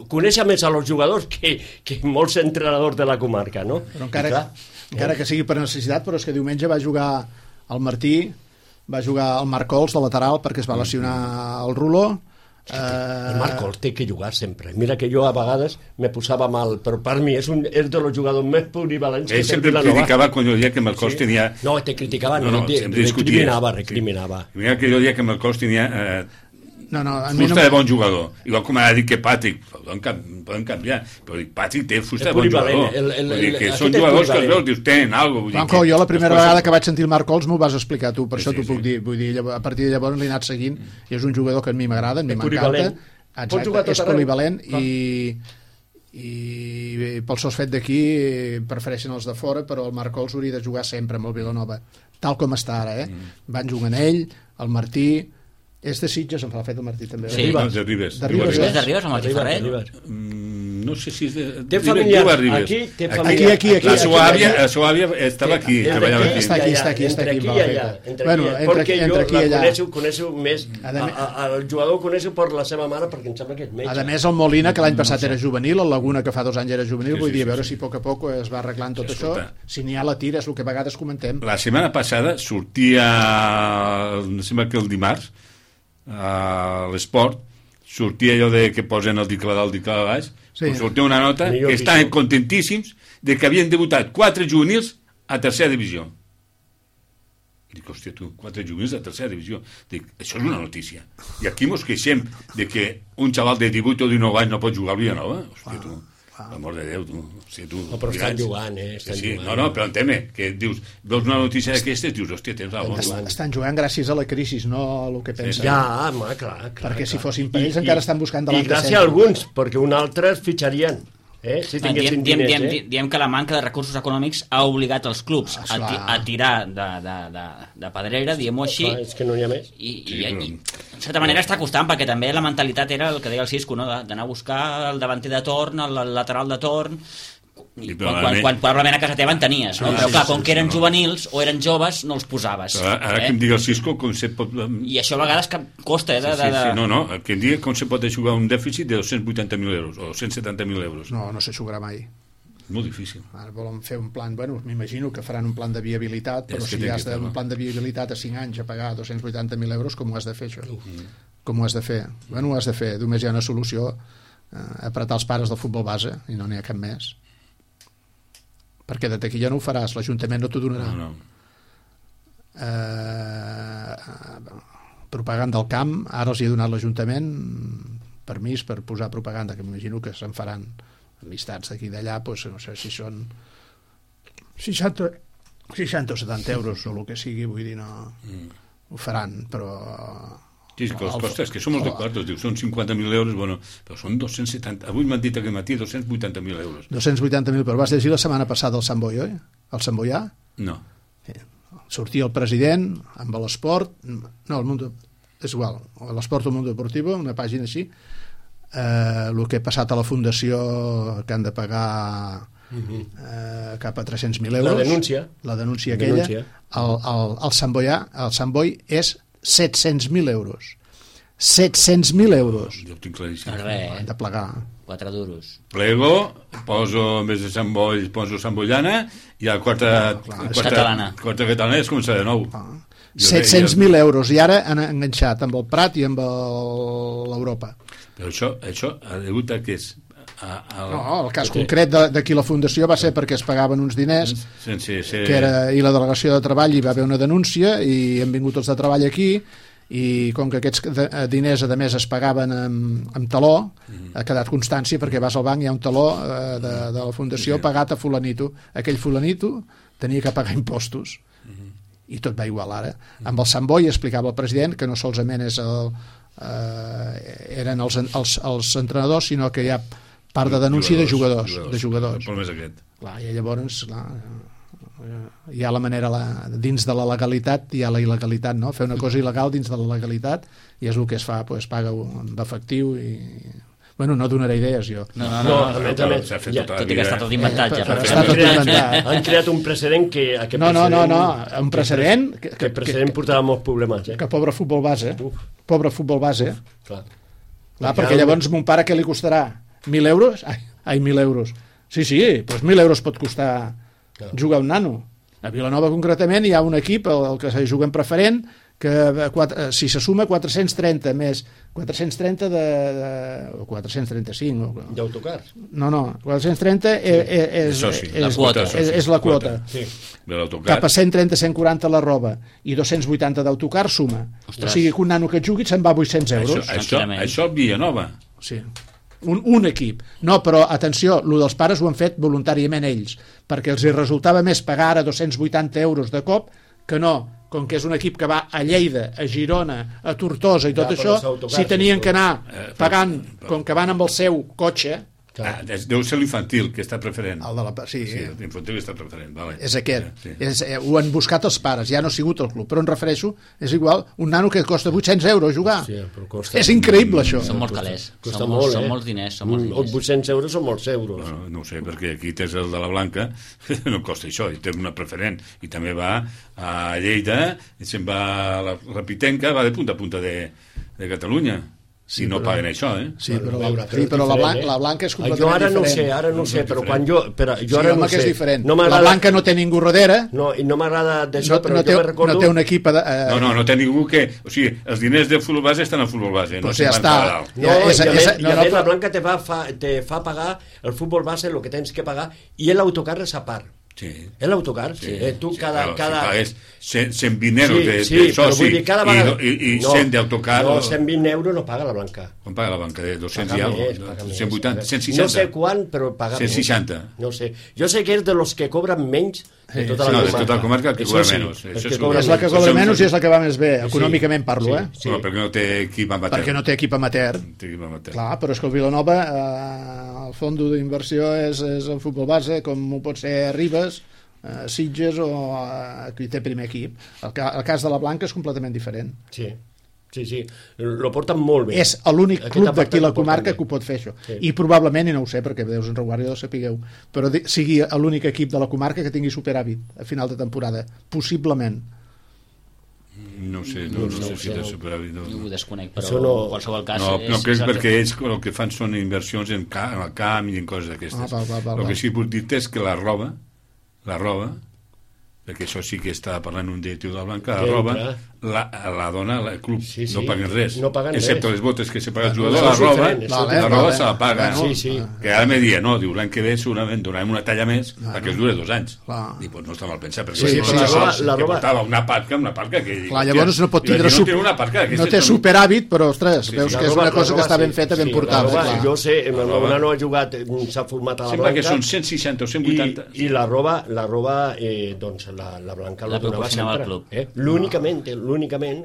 D: coneix més a els jugadors que molts entrenadors de la comarca, no?
C: Però encara que sigui per necessitat, però és que diumenge va jugar el Martí, va jugar el Marc Cols de lateral perquè es va lesionar el Rulo.
D: El Marc Cols té que jugar sempre. Mira que jo a vegades me posava mal, però per mi és dels jugadors més polivalents que té
B: sempre
D: Vilanova.
B: criticava quan jo deia que Marc Cols tenia...
D: No, te criticava, recriminava.
B: Mira que jo deia que Marc Cols tenia... fusta de bon jugador, igual com ha dit que Patrick, poden canviar, però Patrick té fusta de bon jugador, vull dir que són jugadors que els veus, dius, tenen alguna cosa.
C: Jo la primera vegada que vaig sentir el Marc Cols m'ho vas explicar tu, per això t'ho puc dir, vull dir, a partir de llavors l'he anat seguint i és un jugador que a mi m'agrada, a mi m'encanta, és polivalent i pel sos fet d'aquí prefereixen els de fora, però el Marc Cols hauria de jugar sempre amb el Vilanova, tal com està ara, van jugant ell, el Martí. És de Sitges, em fa fet el Martí també.
B: Sí, de Ribes.
A: De Ribes, amb el Tifarret?
B: No sé si és de...
D: Té familiars, aquí té familiars.
C: Aquí.
B: La seva àvia estava aquí, treballava aquí.
C: Està aquí.
D: Entre aquí i allà. Perquè jo coneixo més... El jugador coneixo per la seva mare, perquè em sembla que és metge.
C: A més, el Molina, que l'any passat era juvenil, el Laguna, que fa 2 anys era juvenil, vull dir, a veure si a poc es va arreglant tot això. Si n'hi ha la tira, és el que a vegades comentem.
B: La setmana passada sortia, em sembla que el dimarts, a l'esport sortia allò de que posen el dicle dalt, dicle de baix, sortia una nota que estaven contentíssims de que havien debutat 4 juvenils a tercera divisió. Dic, hòstia, tu, 4 juvenils a tercera divisió. Dic, això és una notícia. I aquí mos queixem de que un xaval de 18 o 19 anys no pot jugar al Vilanova. Hòstia, tu, l'amor de Déu, tu.
D: No, però estan jugant,
B: Sí, no, però entén-me, que dius, veus una notícia d'aquestes, dius, hòstia, tens raó.
C: Estan jugant gràcies a la crisi, no a el que pensen.
D: Ja, clar.
C: Perquè si fossin per ells encara estan buscant davant de
D: I gràcies a alguns, perquè un altre es fitxarien. Si tinguessin diners,
A: diem que la manca de recursos econòmics ha obligat els clubs a tirar de pedrera, diguem-ho així.
D: És que no n'hi ha més.
A: I en certa manera està costant, perquè també la mentalitat era el que deia el Cisco, no? D'anar a buscar el davanter de torn, el lateral de torn, quan probablement a casa teva en tenies, no? Però clar, com que eren juvenils o eren joves, no els posaves.
B: Ara que em diga el Cisco com se pot...
A: I això a vegades costa,
B: No, que em diga com se pot jugar un dèficit de 280.000 euros o 170.000 euros.
C: No se jugarà mai.
B: Molt difícil.
C: Ara volen fer un plan, m'imagino que faran un plan de viabilitat, però si has un plan de viabilitat a 5 anys a pagar 280.000 euros, com ho has de fer, això? Com ho has de fer? Ho has de fer. Només hi ha una solució, apretar els pares del futbol base, i no n'hi ha cap més. Perquè de taquilla no ho faràs, l'Ajuntament no t'ho donarà. Propaganda al camp, ara els hi ha donat l'Ajuntament permís per posar propaganda, que m'imagino que se'n faran amistats d'aquí i d'allà, doncs no sé si són 60 o 70 euros o el que sigui, vull dir, no ho faran, però...
B: Sí, que els costes, que som els de quartos, diu, són 50.000 euros, bueno, però són 270, avui m'han dit aquest matí 280.000 euros.
C: 280.000, però vas llegir la setmana passada el Sant Boi, oi? El Sant Boià?
B: No.
C: Sortia el president amb l'esport, no, el Mundo, és igual, l'esport o Mundo Deportivo, una pàgina així, el que ha passat a la fundació que han de pagar cap a 300.000 euros. La denúncia aquella. El Sant Boià, el Sant Boi és 700.000 euros. 700.000 euros.
B: Jo ho tinc claríssim.
C: Han de plegar.
A: 4 duros.
B: Plego, poso, en vez de Sant Boi, poso Sant Boiana, i a quarta catalana es comença de nou.
C: 700.000 euros, i ara han enganxat amb el Prat i amb l'Europa.
B: Però això ha degut a què és?
C: No, el cas concret d'aquí la fundació va ser perquè es pagaven uns diners i la delegació de treball hi va haver una denúncia i han vingut els de treball aquí i com que aquests diners a més es pagaven amb taló, ha quedat constància perquè vas al banc i hi ha un taló de la fundació pagat a fulanito. Aquell fulanito tenia que pagar impostos i tot va igual ara. Amb el Sant Boi explicava el president que no solament eren els entrenadors, sinó que hi ha part de denúncia de jugadors.
B: El problema és aquest.
C: Clar, i llavors hi ha la manera dins de la legalitat, hi ha la il·legalitat, no? Fer una cosa il·legal dins de la legalitat i és el que es fa, pues, paga amb efectiu i... Bueno, no donaré idees jo.
A: No, tot i que està tot inventat ja.
D: Han creat un precedent que...
C: No, un precedent...
D: Que el precedent portarà molts problemes.
C: Que pobre futbol base. Pobre futbol base. Clar, perquè llavors mon pare què li costarà? 1.000 euros? Ai, 1.000 euros. Sí, doncs 1.000 euros pot costar jugar un nano. A Vilanova concretament hi ha un equip, el que se juga en preferent, que si se suma 430 més 430 o 435
D: d'autocars.
C: No, 430 és la quota. Cap a 130, 140 la roba i 280 d'autocar suma. O sigui que un nano que jugui se'n va a 800 euros.
B: Això Vilanova.
C: Sí. Un equip. No, però atenció, el dels pares ho han fet voluntàriament ells, perquè els hi resultava més pagar ara 280 euros de cop que no, com que és un equip que va a Lleida, a Girona, a Tortosa i tot això, si tenien que anar pagant, com que van amb el seu cotxe...
B: Deu ser l'infantil que està preferent.
C: Sí,
B: l'infantil està preferent, vale.
C: És aquest. Ho han buscat els pares, ja no ha sigut el club, però em refereixo, és igual, un nano que costa 800 euros jugar. És increïble, això.
A: Són molts calés. Són molts diners.
D: 800 euros són molts euros.
B: No ho sé, perquè aquí tens el de la Blanca, no costa això, i té una preferent, i també va a Lleida, i se'n va a la Pitenca, va de punta a punta de Catalunya. Si no paguen això,
C: Sí, però la Blanca és completament diferent.
D: Ara no sé, però quan jo ara no sé.
C: És diferent. La Blanca no té ningú darrere.
D: No, i no m'agrada d'això, però jo me recordo...
C: No té un equip...
B: No té ningú que... O sigui, els diners del futbol base estan al futbol base.
C: Pues ja està.
D: I a més la Blanca te fa pagar el futbol base, el que tens que pagar, i l'autocar és a part.
B: Sí.
D: L'autocar, tu cada...
B: Si pagues 120 euros de soci i 100 d'autocar...
D: No, 120 euros no paga la Blanca.
B: Quan paga la Blanca? De 200 i alguna cosa? 180, 160?
D: No sé quan, però paga
B: 160.
D: No sé. Jo sé que és de los que cobren menys de tota
B: No,
D: la
B: de tota la comarca que
D: Això
B: cobra
D: sí,
B: menys.
D: és
B: Això
D: que
B: és
D: cobra
C: És la que
B: Això
C: cobra
B: som-
C: menys i és la que va més bé, econòmicament parlo,
D: sí,
C: eh?
B: Però perquè no té equip amateur.
C: Perquè no té equip amateur.
B: Té equip amateur.
C: Clar, però és que el Vilanova, el fons d'inversió és el futbol base, com ho pot ser Ribes, Sitges o qui té primer equip. El cas de la Blanca és completament diferent.
D: Sí, lo porten molt bé.
C: És l'únic
D: Aquest
C: club
D: apartat
C: d'aquí la
D: lo porten
C: comarca
D: bé.
C: que ho pot fer això.
D: Sí.
C: I probablement, i no ho sé perquè Déus en reguardi ho sapigueu, però sigui l'únic equip de la comarca que tingui superàvit a final de temporada, possiblement.
B: No sé, no sé si té superàvit.
A: Jo ho desconec, però
D: Això no-
A: en qualsevol cas...
B: No crec perquè ells el que fan són inversions en el camp i en coses d'aquestes.
C: Val.
B: El que sí que puc dir és que la roba, perquè això sí que està parlant un directiu de la Blanca, la
D: Que
B: roba
D: entra.
B: la dona, el club,
D: Sí,
B: no paguen res,
D: no paguen
B: excepte
D: res.
B: les botes que se paga el jugador,
D: Això
B: la
D: és
B: roba,
D: diferent, això
C: és
B: la roba
C: diferent.
B: se la paga.
C: Bueno,
D: sí.
B: Que ara me dia, no, diu, l'any que ve segurament donarem una talla més perquè es dure 2 anys.
C: Clar.
B: I doncs no està mal pensat, perquè
C: Sí,
B: no
C: però
D: la
B: que
D: roba-
B: portava una parca que...
C: Clar, llavors no pot tindre
B: no té una parca d'aquestes
C: no té
B: que
C: superàvit, però ostres,
B: Sí,
C: veus
B: sí.
C: que és una cosa que està ben feta, ben portada.
D: La roba,
C: clar.
D: jo sé, el
B: La
D: meu
B: roba.
D: nano ha jugat, s'ha format a la
B: Sembla
D: Blanca.
B: que són 160 o 180.
D: I la roba doncs la Blanca
A: La
D: lo donava
A: proporcionava
D: sempre.
A: al club.
D: L'únicament que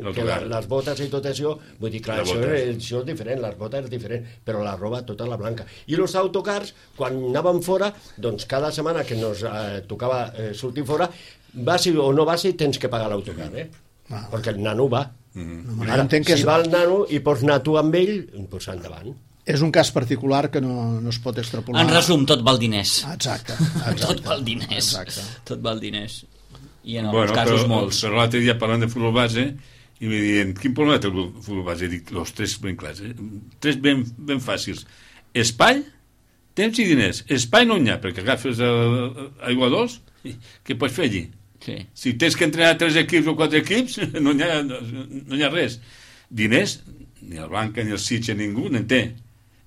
B: L'autocar.
D: les botes i tot això, vull dir, clar,
B: Les
D: això
B: botes.
D: és diferent, les botes és diferent, però la roba tota la Blanca. I els autocars, quan anàvem fora, doncs cada setmana que nos tocava sortir fora, vas o no vas, tens que pagar l'autocar, perquè el nano va.
C: Jo
D: Ara,
C: entenc que
D: si
C: és,
D: va el nano i pots anar tu amb ell, doncs endavant.
C: és un cas particular que no es pot extrapolar.
A: En resum, tot val diners.
C: Exacte.
A: Tot val diners.
C: Exacte.
A: Tot val diners. I en alguns casos molts.
B: Però l'altre dia parlant de futbol base i me diuen, quin problema té el futbol base? Dic, los tres ben clars, tres ben fàcils. Espai, temps i diners. Espai no n'hi ha, perquè agafes aigua dolç, què pots fer allí?
A: Sí.
B: Si tens que entrenar 3 equips o 4 equips, no hi ha res. Diners, ni el Blanca ni el Sitges, ningú n'en té.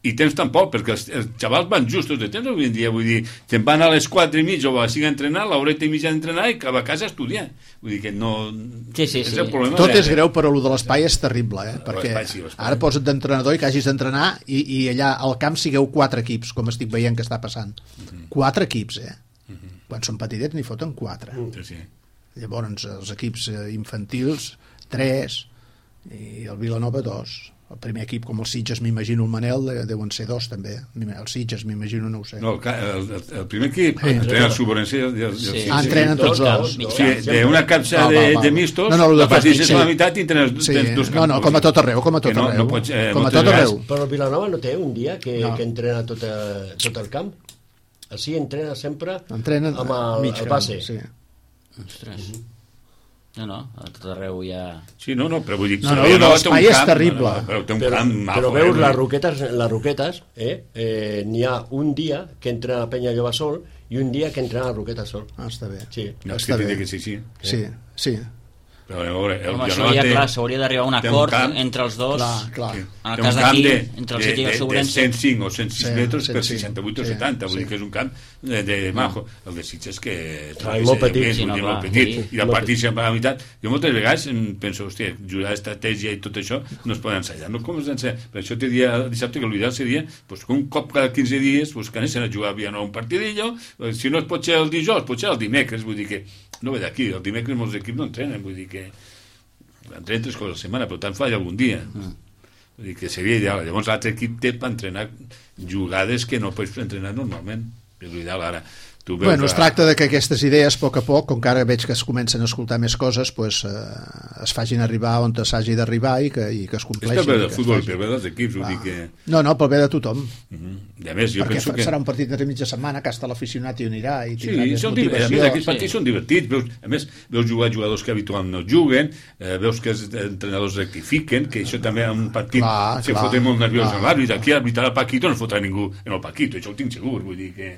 B: I temps tampoc, perquè els xavals van justos de temps avui en dia, vull dir, te'n van a les 4:30 o a les 5 a entrenar, l'horeta i mitja d'entrenar i cap a casa a estudiar. Vull dir que no...
A: Sí.
B: És el problema.
C: Tot és greu, però el de l'espai és terrible, perquè
B: l'espai sí, l'espai.
C: ara posa't d'entrenador i que hagis d'entrenar i allà al camp sigueu 4 equips, com estic veient que està passant. 4 equips, Quan són petitets n'hi foten 4.
B: Sí.
C: Llavors, els equips infantils, 3, i el Vilanova 2. El primer equip, com el Sitges, m'imagino el Manel, deuen ser 2 també. El Sitges, m'imagino, no ho sé.
B: No, el primer equip
C: Sí.
B: entrena el Suborense i el
A: Sí.
B: Sitges.
C: Entrenen tots dos.
A: mig
B: Sí, d'una capsa de mistos, la partida és la meitat i tens dos camps.
C: No, com a tot arreu, com a tot
B: Que no
C: arreu.
B: pots,
C: Com a
B: moltes
C: tot arreu.
B: vegades-
D: Però el Vilanova no té un dia que entrena tot el camp? Així entrena sempre
C: Entrenen
D: amb el
C: camp,
D: base.
C: sí.
A: Ostres. No, a tot arreu hi ha...
B: Sí, no, però vull dir...
C: No,
B: Vilanova té un
C: l'espai és
B: camp,
C: terrible.
B: Però té un
D: Però,
B: camp
D: però
B: maco,
D: veus les roquetes, n'hi ha un dia que entrena la Penya Lloba sol i un dia que entrena la Roqueta sol.
C: Està bé.
D: Sí.
B: No, és
C: Està
B: que
C: bé.
B: tindria que ser així.
C: Sí.
B: Però a veure, el
A: Home,
B: Vilanova té...
A: s'hauria d'arribar a un
B: té un
A: acord
B: camp.
A: entre els dos.
C: Clar.
A: En el
B: Té
A: cas
B: un camp
A: d'aquí,
B: de,
A: entre el Sitges i el
B: de
A: Sobrense.
B: 105 o 106
C: Sí,
B: metres per
C: 105,
B: 68 o
C: sí,
B: 70, vull dir
C: sí.
B: que és un camp de majo. El de Sitges que...
D: Clar, molt petit,
B: és
A: sí, no,
B: molt
A: clar,
B: petit.
A: sí.
B: I la partida sempre a la meitat. Jo moltes vegades penso, hòstia, jugar estratègia i tot això no es poden ensenyar. No, com es ensenyar? Per això te dia dissabte que l'ideal seria pues, que un cop cada 15 dies pues, que anessin a jugar a Viana un partidillo, si no es pot ser el dijous, pot ser el dimecres, vull dir que no ve d'aquí, el dimecres molts equips no entrenen, vull dir que entrenen 3 cops a la setmana, però tant falla algun dia. Vull dir que seria ideal. Llavors l'altre equip té per entrenar jugades que no pots entrenar normalment. És l'ideal ara. Tu veus
C: Bueno, es tracta de que aquestes idees, a poc a poc, com que ara veig que es comencen a escoltar més coses, pues, es facin arribar on s'hagi d'arribar i que es
B: És
C: compleixin.
B: per bé del
C: que es
B: futbol,
C: facin.
B: per bé dels equips, vull dir que...
C: No, pel bé de tothom.
B: I a més, jo
C: Perquè
B: penso que...
C: serà un partit de mitja setmana que hasta l'aficionat hi anirà i
B: Sí,
C: tindrà més
B: són a més,
C: motivació.
B: aquests partits són divertits. A més, veus jugar jugadors que habitualment no juguen, veus que els entrenadors rectifiquen, que això també en un partit se
C: Clar,
B: foten molt nerviós
C: clar.
B: en l'àrbit. Aquí arbitrar el Paquito no es fotrà ningú en el Paquito, això ho tinc segur, vull dir que...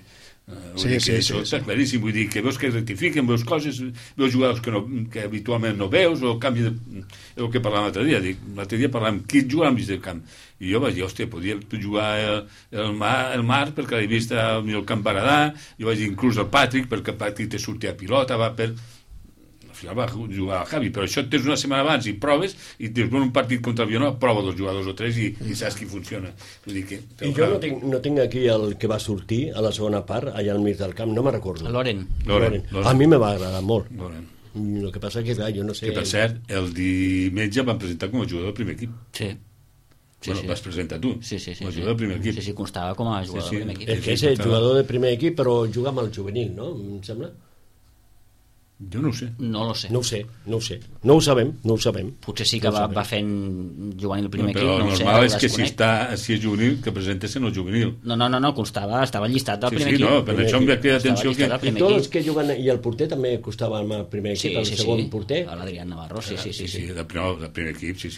B: això està claríssim, vull dir que veus que rectifiquen, veus coses, veus jugadors que habitualment no veus, o canvi de... el que parlàvem l'altre dia, l'altre dia parlàvem qui juga al mig del camp, i jo vaig dir, hòstia, podria jugar el Marc perquè l'he vist al Camp Baradà, jo vaig dir inclús el Patrick perquè el Patrick te sortia a pilota, va per... al final va jugar a Javi, però això et tens una setmana abans i proves, i després un partit contra el Vilanova, prova 2 jugadors o 3 i saps qui funciona. Vull dir que...
D: I jo no tinc aquí el que va sortir a la segona part, allà al mig del camp, no me'n recordo.
A: Loren.
D: A mi me va agradar molt.
B: Loren.
D: El que passa que, clar, jo no sé...
B: Que, per cert, el diumenge van presentar com a jugador del primer equip.
A: Sí.
B: Vas presentar tu, com a jugador del primer equip.
A: Sí, constava com a jugador del primer equip.
D: És que és el jugador del primer equip, però juga amb el juvenil, no? Em sembla?
B: Jo no ho sé.
A: No lo sé.
D: No ho sabem.
A: Potser sí que va fent juvenil el primer equip,
B: però
A: no ho sé.
B: normal és que si és juvenil, que presentessin el juvenil.
A: No, constava, estava llistat del primer equip.
B: Sí, no, per això em ve aquella atenció que...
D: I tots els que juguen, i el porter també costava amb el primer equip, el segon porter.
A: L'Adrián Navarro, sí.
B: Del primer equip, sí.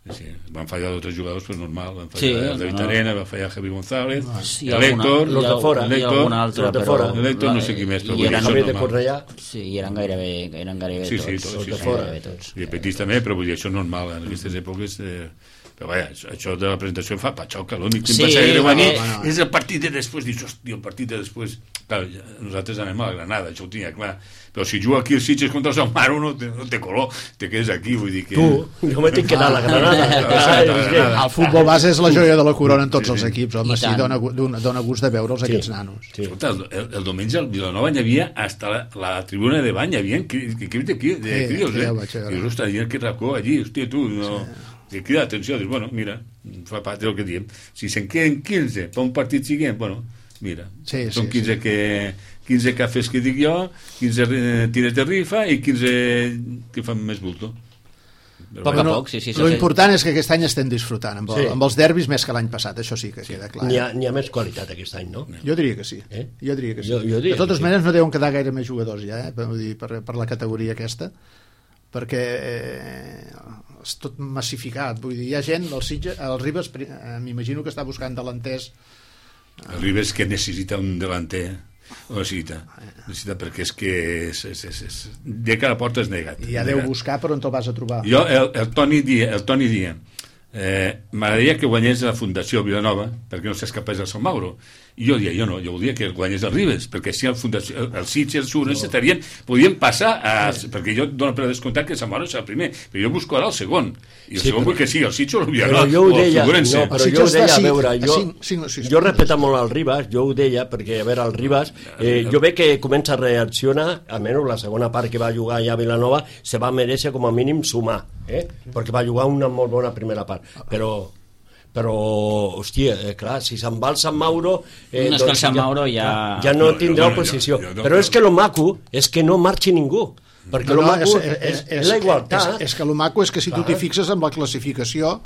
B: Sí, van fallar 2 o 3 jugadors, però normal. Van
A: Sí,
B: fallar el David Arena, va fallar Javi González,
A: Sí,
B: l'Héctor,
D: los de fora,
B: l'Héctor no sé qui més, però
A: I eren,
B: això
D: de Cornellà.
A: sí, i eren gairebé
B: Sí,
A: tots.
B: tots,
D: de fora.
B: I petits també, però vull dir, això és normal, en aquestes èpoques... Però vaja, això de la presentació fa patxoca, l'únic que em passa greu aquí és el partit de després, dius, hòstia, el partit de després... Clar, nosaltres anem a la Granada, això ho tenia clar, però si juga aquí el Sitges contra el Sant Maro no té color, te quedes aquí, vull dir que...
D: Tu, jo m'he tinc que anar a la Granada.
C: El futbol base és la joia de la corona en tots els equips, home, sí, dona gust de veure'ls aquests nanos.
B: Escolta, el diumenge al Vilanova hi havia hasta la tribuna de bany, hi havia equips de crios, dius, ostres, hi ha aquest racó allí, hòstia, tu, no... Que crida l'atenció, dius, bueno, mira, fa part del que diem. Si se'n queden 15 per un partit siguent, bueno, mira, són 15 cafès que dic jo, 15 tires de rifa i 15 que fan més bulto.
A: A poc, sí.
C: L'important és que aquest any estem disfrutant amb els derbis més que l'any passat, això sí que queda clar.
D: N'hi ha més qualitat aquest any, no?
C: Jo diria que sí. Jo diria que sí.
D: De
C: totes maneres no deuen quedar gaire més jugadors ja, per la categoria aquesta, perquè és tot massificat, vull dir, hi ha gent, el Ribes m'imagino que està buscant delanters.
B: El Ribes que necessita un delanter, ho necessita perquè és que de que la porta és negat.
C: I ja deu buscar per on te'l vas a trobar.
B: Jo, el Toni dia m'agradaria que guanyés la Fundació Vilanova perquè no s'escapés del Sant Mauro, i jo volia que guanyés el Ribes, perquè si el Sitges i el Sures podien passar perquè jo dono per descomptat que el Sant Mauro és el primer, però jo busco ara el segon, i el segon vull que sigui el Sitges o el Vilanova,
D: jo ho deia, a veure, jo respecto molt el Ribas, jo ho deia perquè, a veure, el Ribas jo veig que comença a reaccionar, almenys la segona part que va jugar ja a Vilanova se va mereixer com a mínim sumar, perquè va jugar una molt bona primera part, però hòstia, clar, si se'n va al Sant Mauro
A: no és que el Sant Mauro ja
D: no tindrà oposició, però és que lo maco és que no marxi ningú, perquè lo maco és la igualtat.
C: És que lo maco és que si tu t'hi fixes amb la classificació,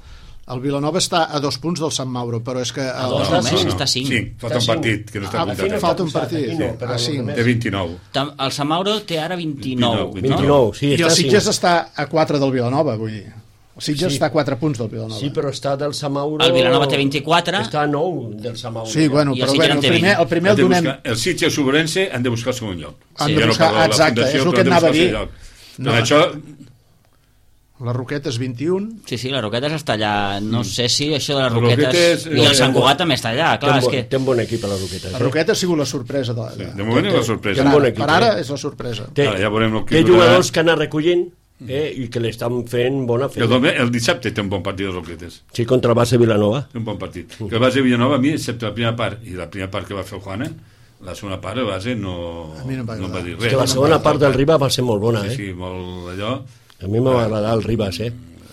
C: el Vilanova està a 2 punts del Sant Mauro, però és que...
A: Està a 5.
B: Sí, falta un partit que no està comptat.
C: Falta un partit,
B: a 5. Té 29.
A: El Sant Mauro té ara 29.
D: 29, sí,
C: i el Sitges està a 4 del Vilanova, vull dir. El Sitges està a 4 punts del Vilanova.
D: Sí, però està del Sant Mauro...
A: El Vilanova té 24.
D: Està a 9 del Sant Mauro.
C: Sí, bueno, però el primer el donem...
B: El Sitges i el Sobrense han de buscar el segon lloc.
C: Han de buscar, exacte, és el que et anava a dir.
B: Per això...
C: Les Roquetes 21.
A: Sí, les Roquetes està allà. No sé si això de les Roquetes... I el Sant Cugat també està allà, clar, és que...
D: Té un bon equip a les Roquetes.
C: La Roqueta ha sigut la sorpresa.
B: De moment és la sorpresa.
C: Per ara és la sorpresa.
B: Té
D: jugadors que han anat recollint i que l'estan fent bona feina.
B: El dissabte té un bon partit de Roquetes.
D: Sí, contra el base Vilanova.
B: Un bon partit. Que el base Vilanova, a mi, excepte la primera part i la primera part que va fer el Juana, la segona part el base no va dir res.
D: És que la segona part del Riba va ser molt bona,
B: Sí, molt allò...
D: A mi m'ha agradat el Ribas,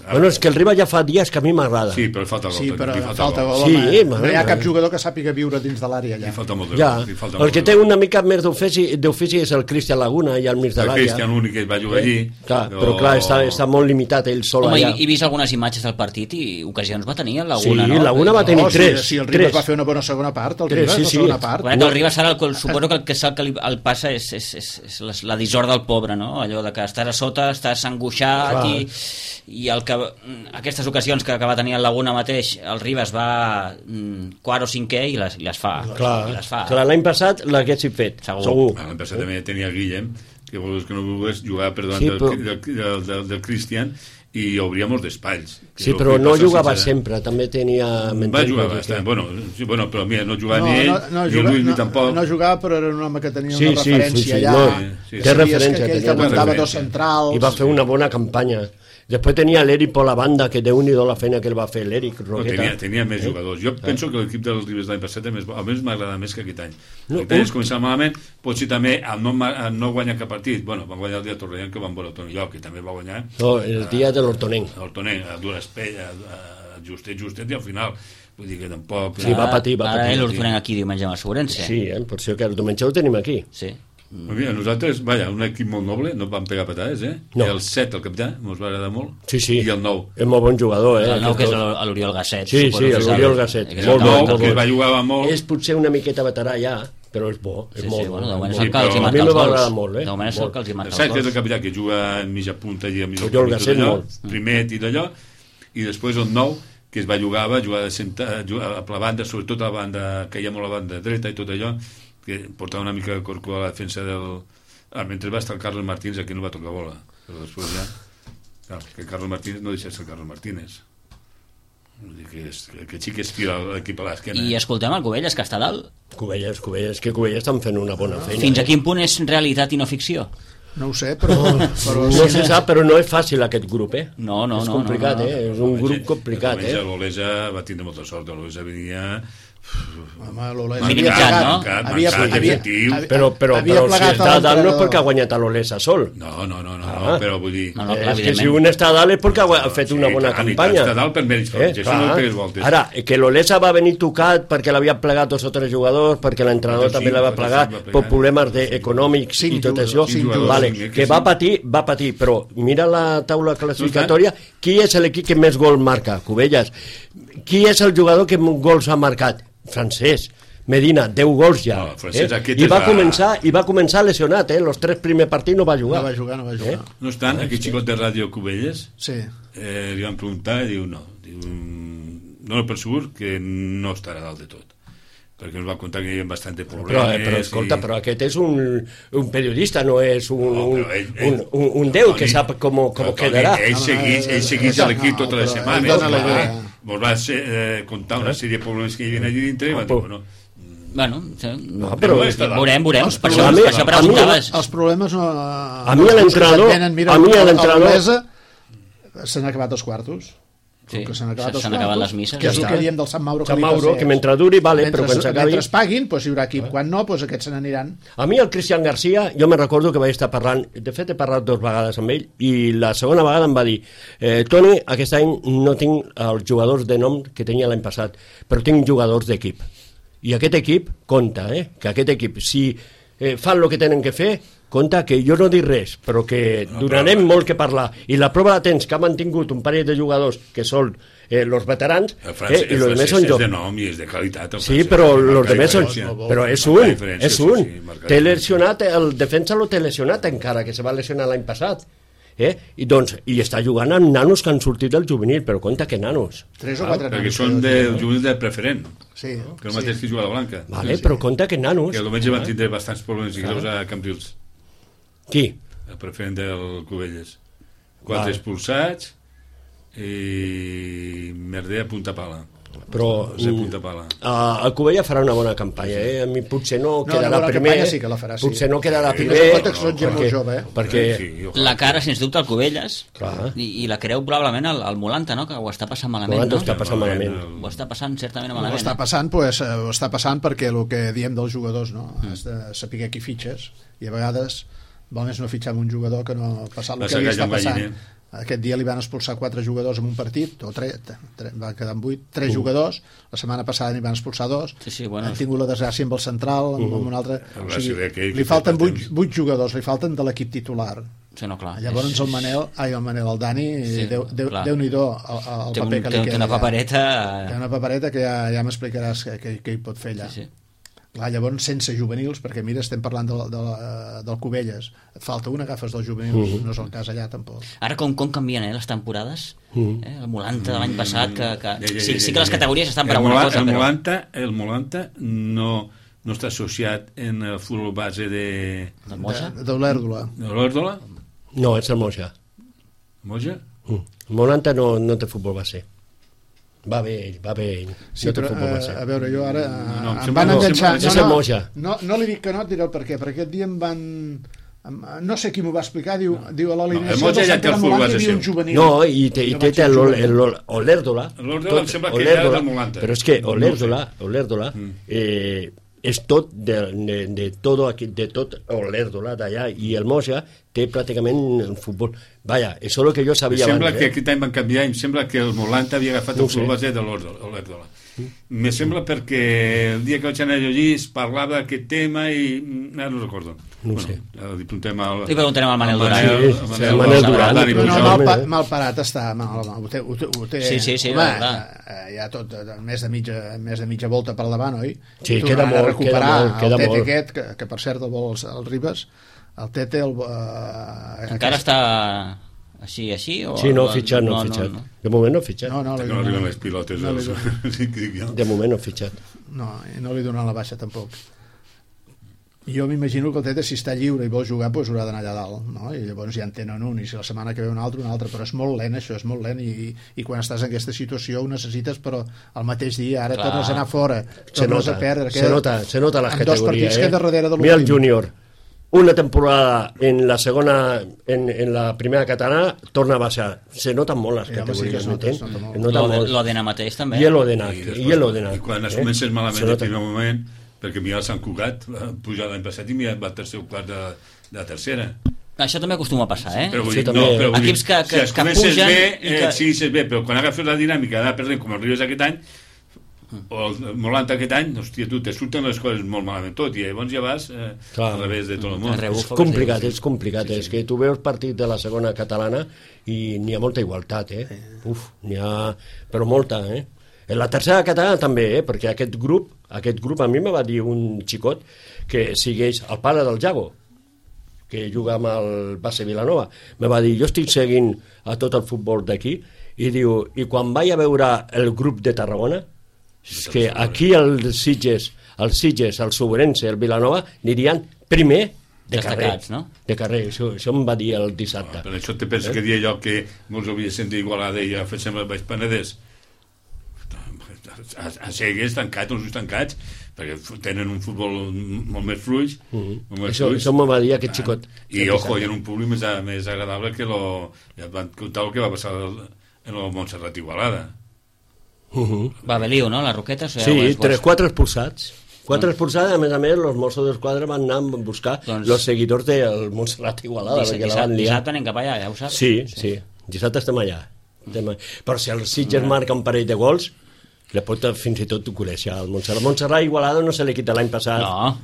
D: Bueno, és que el Ribas ja fa dies que a mi m'agrada.
B: Sí, però falta gol.
C: Sí, però falta gol.
D: Sí,
C: no hi ha cap jugador que sàpiga viure dins de l'àrea allà.
B: Li falta molt de
D: gol. El que té una mica més d'ofici és el Cristian Laguna, allà al mig de l'àrea.
B: El Cristian l'únic que va jugar allí.
D: Però clar, està molt limitat ell sol allà.
A: He vist algunes imatges del partit i ocasions va tenir el Laguna, no?
D: Sí, Laguna va tenir 3.
C: Sí, el Ribas va fer una bona segona part, el Ribas, la segona part.
A: El Ribas ara, suposo que el passa és la dissort del pobre, no? Allò de que estàs a sota, estàs angoixat i aquestes ocasions que va tenir el Laguna mateix, el Ribas va quart o cinquè i les fa.
D: Clar, l'any passat l'haguessin fet, segur.
B: L'any passat també tenia Guillem, que volgués que no volgués jugar per davant del Cristian, i obria molts d'espais.
D: Sí, però no jugava sempre, també tenia...
B: Va jugar bastant, bueno, però mira, no jugava ni ell, ni el Lluís ni tampoc.
C: No jugava, però era un home que tenia una referència allà.
D: Té referència.
C: Que ell t'aguantava dos centrals.
D: I va fer una bona campanya. Després tenia l'Eric per la banda, que déu-n'hi-do la feina que el va fer l'Eric Roqueta.
B: Tenia més jugadors. Jo penso que l'equip dels Ribes l'any passat almenys m'agrada més que aquest any. Aquest any es començava malament, potser també al no guanyar cap partit. Bueno, van guanyar el dia de Torrellán, que van veure el Torelló, que també va guanyar.
D: No, el dia de l'Hortonenc.
B: L'Hortonenc, a dures pelles, justet, i al final... Vull dir que tampoc...
D: Sí, va patir.
A: Ara l'Hortonenc aquí diumenge amb el Sobrense.
D: Sí, per això que el diumenge ho tenim aquí.
A: Sí.
B: Mira, nosaltres, un equip molt noble, no vam pegar patades,
D: No.
B: El 7, el capità, ens va agradar molt.
D: Sí.
B: I el 9.
D: És molt bon jugador,
A: El 9, que és l'Oriol Gasset.
D: Sí, l'Oriol Gasset.
B: El 9, que va jugar molt.
D: És potser una miqueta veterà ja, però és bo. És molt bo.
A: De moment és el que els hi marca els gols. De moment és el que els hi marca els gols.
B: El 7 és el capità, que juga en mitja punta i a mitja
D: Oriol Gasset molt.
B: Primer i d'allò, i després el 9, que es va jugar a la banda, sobretot a la banda, que hi ha molt a la banda dreta i tot allò, que portava una mica de corcó a la defensa del... mentre va estar el Carlos Martínez, aquí no va tocar bola, però després ja... Clar, que Carlos Martínez no deixa de ser Carlos Martínez. Vull dir que sí que es tira l'equip a l'esquena.
A: I escoltem el Cubelles, que està dalt.
D: Cubelles, que Cubelles estan fent una bona feina.
A: Fins a quin punt és realitat i no ficció?
C: No ho sé, però
D: no se sap, però no és fàcil aquest grup,
A: No.
D: És complicat, És un grup complicat,
B: L'Olesa va tindre molta sort, l'Olesa venia...
A: Minimitzant, no?
D: Però si està dalt no és perquè ha guanyat a l'Olesa sol.
B: No, però vull dir...
D: És que si un està dalt és perquè ha fet una bona campanya.
B: Està dalt per mèrits propis, això no pegues voltes.
D: Ara, que l'Olesa va venir tocat perquè l'havia plegat 2 o 3 jugadors, perquè l'entrenador també l'havia plegat per problemes econòmics i tot això, que va patir, però mira la taula classificatòria, qui és l'equip que més gol marca? Cubelles. Qui és el jugador que gols ha marcat? Francesc. Medina, 10 gols ja. I va començar lesionat, els 3 primers partits no va jugar.
C: No va jugar.
B: No estan, aquest xicot de Ràdio Cubelles,
C: sí.
B: Li van preguntar i diu no. No per segur que no estarà dalt de tot. Perquè ens va contar que hi havia bastant problemes.
D: Però escolta, però aquest és un periodista, no és un déu que sap com quedarà.
B: Ell segueix a l'equip tota la setmana. Ens va contar una sèrie de problemes que hi havia allà dintre i va dir,
A: però veurem, per això preguntaves.
C: Els problemes no...
D: A mi l'entrenador
C: s'han acabat els quartos.
A: Sí, s'han acabat les misses.
C: Que és el que diem del Sant Mauro.
D: Que mentre duri, però quan s'acabi...
C: Mentre paguin, hi haurà equip. Quan no, aquests se n'aniran.
D: A mi el Cristian García, jo me recordo que vaig estar parlant, de fet he parlat 2 vegades amb ell, i la segona vegada em va dir Toni, aquest any no tinc els jugadors de nom que tenia l'any passat, però tinc jugadors d'equip. I aquest equip compta, que aquest equip, si fan el que tenen que fer, compta que jo no dic res, però que donarem molt que parlar. I la prova de temps que ha mantingut un parell de jugadors que són els veterans, i els demés són
B: jocs. És de nom i és de qualitat.
D: Sí, però els demés són... Però és un. Té lesionat, el defensa lo té lesionat encara, que se va lesionar l'any passat. I està jugant amb nanos que han sortit del juvenil, però compta que nanos.
C: 3 o 4 nanos.
B: Perquè són del juvenil de preferent.
C: Sí.
B: Que el mateix que juga a la Blanca.
D: Però compta que nanos.
B: Que almenys van tindre bastants problemes i greus a Cambrils.
D: Qui?
B: El preferent del Cubelles. 4 expulsats i merder a punta pala.
D: Però el Cubella farà una bona campanya, A mi potser no quedarà primer, potser no quedarà primer perquè
A: la cara sens dubte al Cubelles i la creu probablement al Molanta, no? Que ho està passant malament, no? Ho està passant certament malament.
C: Ho està passant perquè el que diem dels jugadors, no? Has de saber qui fitxes i a vegades val més no fitxar un jugador que no passar el que li està passant. Aquest dia li van expulsar 4 jugadors en un partit, o 3, va quedar amb 8, 3 jugadors, la setmana passada n'hi van expulsar 2, han tingut la desgràcia amb el central, amb un altre, li falten 8 jugadors, li falten de l'equip titular.
A: Sí, no, clar.
C: Llavors el Dani, Déu-n'hi-do el paper que li queda.
A: Té una papereta...
C: Té una papereta que ja m'explicaràs què hi pot fer allà. Clar, llavors sense juvenils, perquè mira, estem parlant del Cubelles, et falta un, agafes dels juvenils, no és el cas allà tampoc.
A: Ara com canvien les temporades, el Molanta de l'any passat, sí que les categories estan per alguna cosa,
B: el Molanta no està associat en el futbol base de
C: l'Olèrdola.
B: De l'Olèrdola?
D: No, és el Moja.
B: Moja?
D: Molanta no té futbol base. Va bé ell.
C: Sí, però, a veure, jo ara
B: No,
C: em van enganxar...
D: és el Moja.
C: No li dic que no, et diré el per què. Perquè aquest dia em van... No sé qui m'ho va explicar, diu a l'alineació
B: el Moja
C: del
B: ja té el
C: Sant
B: futbol
C: Pere
B: base
C: hi havia un
B: seu.
C: juvenil.
D: No, i té l'Olèrdola.
B: L'Olèrdola em sembla que ja era del Molanta.
D: Però és que Olèrdola és tot de tot Olèrdola d'allà, i el Moja té pràcticament el futbol. Vaja, això és el que jo sabia
B: sembla
D: abans.
B: Que aquest any van canviar i em sembla que el Molanta havia agafat el futbol base de l'Olèrdola. Me sembla perquè el dia que vaig anar a llegir es parlava d'aquest tema i ara no recordo.
D: No sé.
B: Li
A: preguntarem al Manel Duran.
D: Sí, el Manel Duran.
C: Mal parat està. Ho té,
A: sí,
C: home, ja tot més de mitja volta per davant, oi?
D: Sí, queda molt,
C: recuperar el Tete aquest, que per cert el vol el Ribas, el Tete
A: encara està així o
D: sí, no ha fitxat. De moment no ha fitxat.
C: No
B: arriben les pilotes.
D: De moment no ha fitxat.
C: No li donen la baixa tampoc. Jo m'imagino que el Tete, si està lliure i vol jugar, doncs haurà d'anar allà dalt, no? I llavors ja en tenen un, i si la setmana que ve un altre, però és molt lent això, és molt lent, i quan estàs en aquesta situació ho necessites, però el mateix dia, ara tornes a anar fora, tornes a perdre.
D: Se nota la categoria.
C: Dos partits que darrere de l'últim.
D: Mira el júnior, una temporada en la segona, en la primera catalana, torna a baixar. Se noten molt les categories,
A: l'Odena mateix també.
D: I l'Odena.
B: I quan es comences malament el primer moment, perquè mira el Sant Cugat pujar l'any passat i mira el tercer o quart de tercera.
A: Això també acostuma a passar,
B: Però vull dir,
A: equips que
B: pugen bé, siguis bé, però quan agafes la dinàmica d'anar perdent com el Ribes aquest any o el Molanta aquest any, hòstia, tu, te surten les coses molt malament tot, i llavors ja vas al revés de tot el món.
D: És complicat, és que tu veus partit de la segona catalana i n'hi ha molta igualtat, n'hi ha, però molta, En la tercera catalana també, perquè aquest grup a mi me va dir un xicot que segueix el pare del Jago, que juga amb el base Vilanova, me va dir, jo estic seguint a tot el futbol d'aquí, i diu, i quan vaig a veure el grup de Tarragona, és que aquí el Sitges, el Sobrense, el Vilanova, anirien primer de carrer,
A: no?
D: De carrer, això em va dir el dissabte.
B: Per això te penso que dia allò que molts havia sentit Igualada i ja fem el Baix Penedès a cegues, tancats, uns tancats, perquè tenen un futbol molt més fluix.
D: Això m'ho va dir aquest xicot.
B: I, ojo, i en un públic més agradable que ja van contar el que va passar en el Montserrat Igualada.
A: Va Beliu, no? Les Roquetes?
D: Sí, 4 expulsats. 4 expulsats, a més, els Mossos d'Esquadra van anar a buscar els seguidors del Montserrat Igualada, perquè la van liar.
A: Dissabte anem cap allà, ja ho saps?
D: Sí, dissabte estem allà. Però si el Sitges marca un parell de gols, le pot fins i tot conèixer el Montserrat. Montserrat Igualada no se li quita l'any passat.
A: No,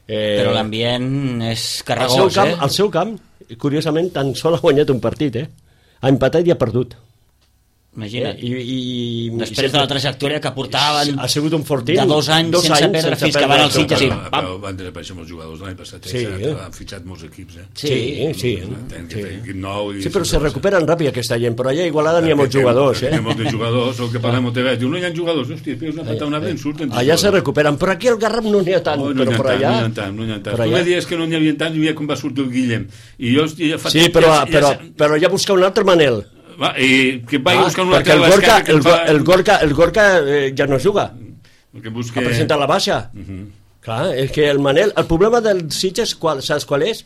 A: però l'ambient és carregós,
D: Al seu camp, curiosament, tan sol ha guanyat un partit, ha empatat i ha perdut.
A: Imagina't. Després de la trajectòria que portaven,
D: ha sigut un fortí
A: de 2 anys sense perdre fins que van al Sitges i
B: pam. Van desaparèixer molts jugadors l'any passat, han fitxat molts equips.
D: Sí, però se
B: recuperen
D: recuperen ràpid aquesta gent, però allà a Igualada n'hi ha molts jugadors.
B: N'hi ha molts jugadors, el que parlem moltes vegades, diu, no hi ha jugadors, hòstia, una pata una vegada surten.
D: Allà se recuperen, però aquí al Garraf no n'hi ha tant, però per allà...
B: No n'hi ha tant. Tu me dius que no n'hi havia tant, i mira com va sortir el Guillem.
D: Sí, però ja busca un altre Manel.
B: I que vagi buscant una
D: perquè el Gorka ja no juga, ha presentat la baixa. Clar, és que el Manel, el problema del Sitges, saps qual és?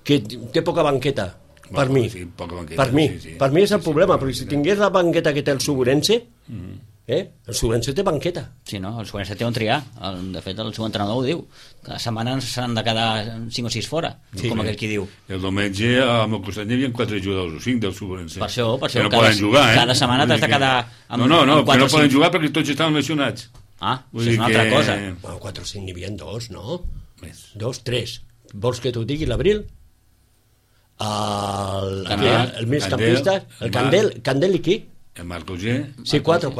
D: Que té poca banqueta, per mi és el problema, perquè si tingués la banqueta que té el Sobrense, el Sobrense té banqueta.
A: Sí, no, el Sobrense té on triar. De fet, el seu entrenador ho diu. Cada setmana s'han de quedar 5 o 6 fora, com aquell qui diu.
B: El diumenge amb el costat hi havia 4 jugadors o 5 del Sobrense.
A: Per això
B: que no poden jugar,
A: cada setmana t'has de quedar amb 4 o 5.
B: No, que no poden jugar perquè tots estaven lesionats.
A: Això és una altra cosa.
D: 4 o 5 n'hi havia 2, no? 2, 3. Vols que t'ho digui l'Abril? El migcampista, el Candel i qui?
B: El Marc Auger.
D: Sí, 4.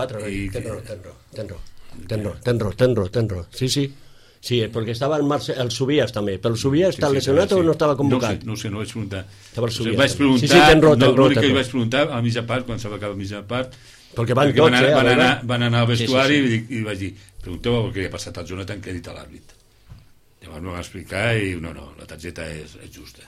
D: Ten raó. Sí, perquè estava el Subias també. Però el Subias està lesionat o no estava convocat?
B: No sé, no vaig preguntar.
D: Estava el Subias.
B: Vaig preguntar, l'únic que vaig preguntar a mitja part, quan s'ha acabat a mitja part,
D: perquè van
B: anar al vestuari i vaig dir, pregunteu el que ha passat al Jonathan, que ha dit a l'àrbit. Llavors m'ho va explicar i no, la targeta és justa.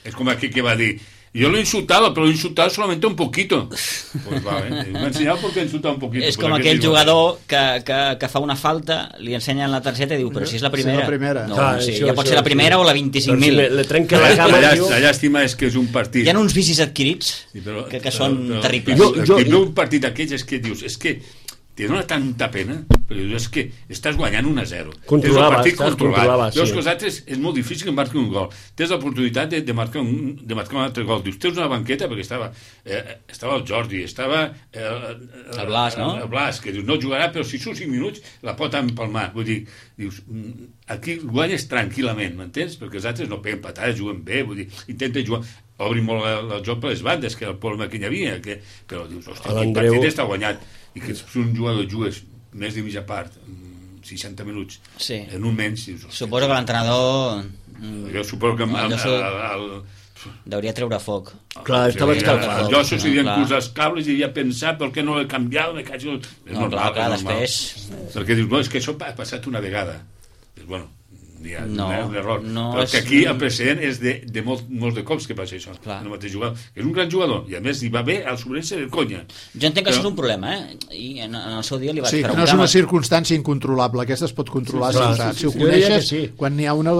B: És com aquí que va dir, Yo lo insultaba, pero lo insultaba solamente un poquito. Pues vale, me ha enseñado porque insultaba un poquito.
A: És com aquell jugador que fa una falta, li ensenyen la targeta i diu, però si és la primera.
C: Sí, la primera.
A: No,
D: Clar,
A: sí,
D: això,
A: ja pot ser la primera o la 25.000.
D: Le trenca la cama.
B: La llàstima és que és un partit.
A: Hi ha uns vicis adquirits que són terribles.
B: El que veu un partit d'aquells és que dius, és que te dona tanta pena, perquè dius, és que estàs guanyant 1-0.
D: Controlaves,
B: Tens el partit controlat.
D: sí.
B: Veus que els altres és molt difícil que marqui un gol. Tens l'oportunitat de marcar un altre gol. Dius, tens una banqueta, perquè estava el Jordi, estava
A: el Blas, no?
B: El Blas, que dius, no jugarà, però si són 5 minuts la pot empalmar. Vull dir, dius, aquí guanyes tranquil·lament, m'entens? Perquè els altres no peguen patades, juguen bé, vull dir, intenten jugar, obrin molt el joc per les bandes, que era el problema que hi havia, però dius, hòstia, el partit està guanyat, i que si un jugador jugues més de mitja part, 60 minuts,
A: sí.
B: En un menys, dius,
A: suposo que l'entrenador
B: jo suposo que
A: deuria treure foc.
D: Clar, estava escalfat.
B: Jo s'ho havien posat els cables i havia pensat per què no l'he canviat, és normal,
A: després...
B: perquè dius, no, és que això ha passat una vegada. Dius, bueno, hi ha un error, però que aquí el precedent és de molts de cops que passa això, el mateix jugador, que és un gran jugador, i a més hi va bé al Sobrense de conya.
A: Jo entenc que això és un problema, i en el seu dia li vaig preguntar...
C: Sí, que no és una circumstància incontrolable, aquesta es pot controlar, si ho coneixes, quan n'hi ha una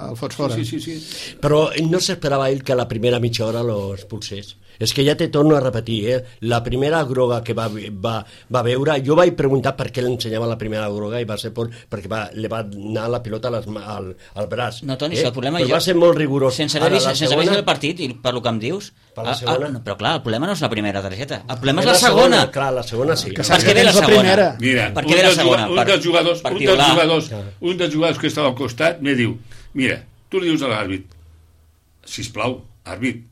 C: el fots fora.
B: Sí.
D: Però no s'esperava ell que a la primera mitja hora lo expulsés. És que ja te torno a repetir, la primera groga que va veure, jo vaig preguntar per què l'ensenyava la primera groga i va ser perquè li va anar la pilota al braç.
A: No, Toni, el problema
D: però va ser molt rigorós.
A: Sense haver vist el partit, i per lo que em dius, però clar, el problema no és la primera targeta, el problema és la segona.
D: Clar, la segona sí.
A: Per què ve la segona?
B: Mira,
A: per què ve la segona?
B: Un dels jugadors que estava al costat me diu, mira, tu li dius a l'àrbit, sisplau, àrbit,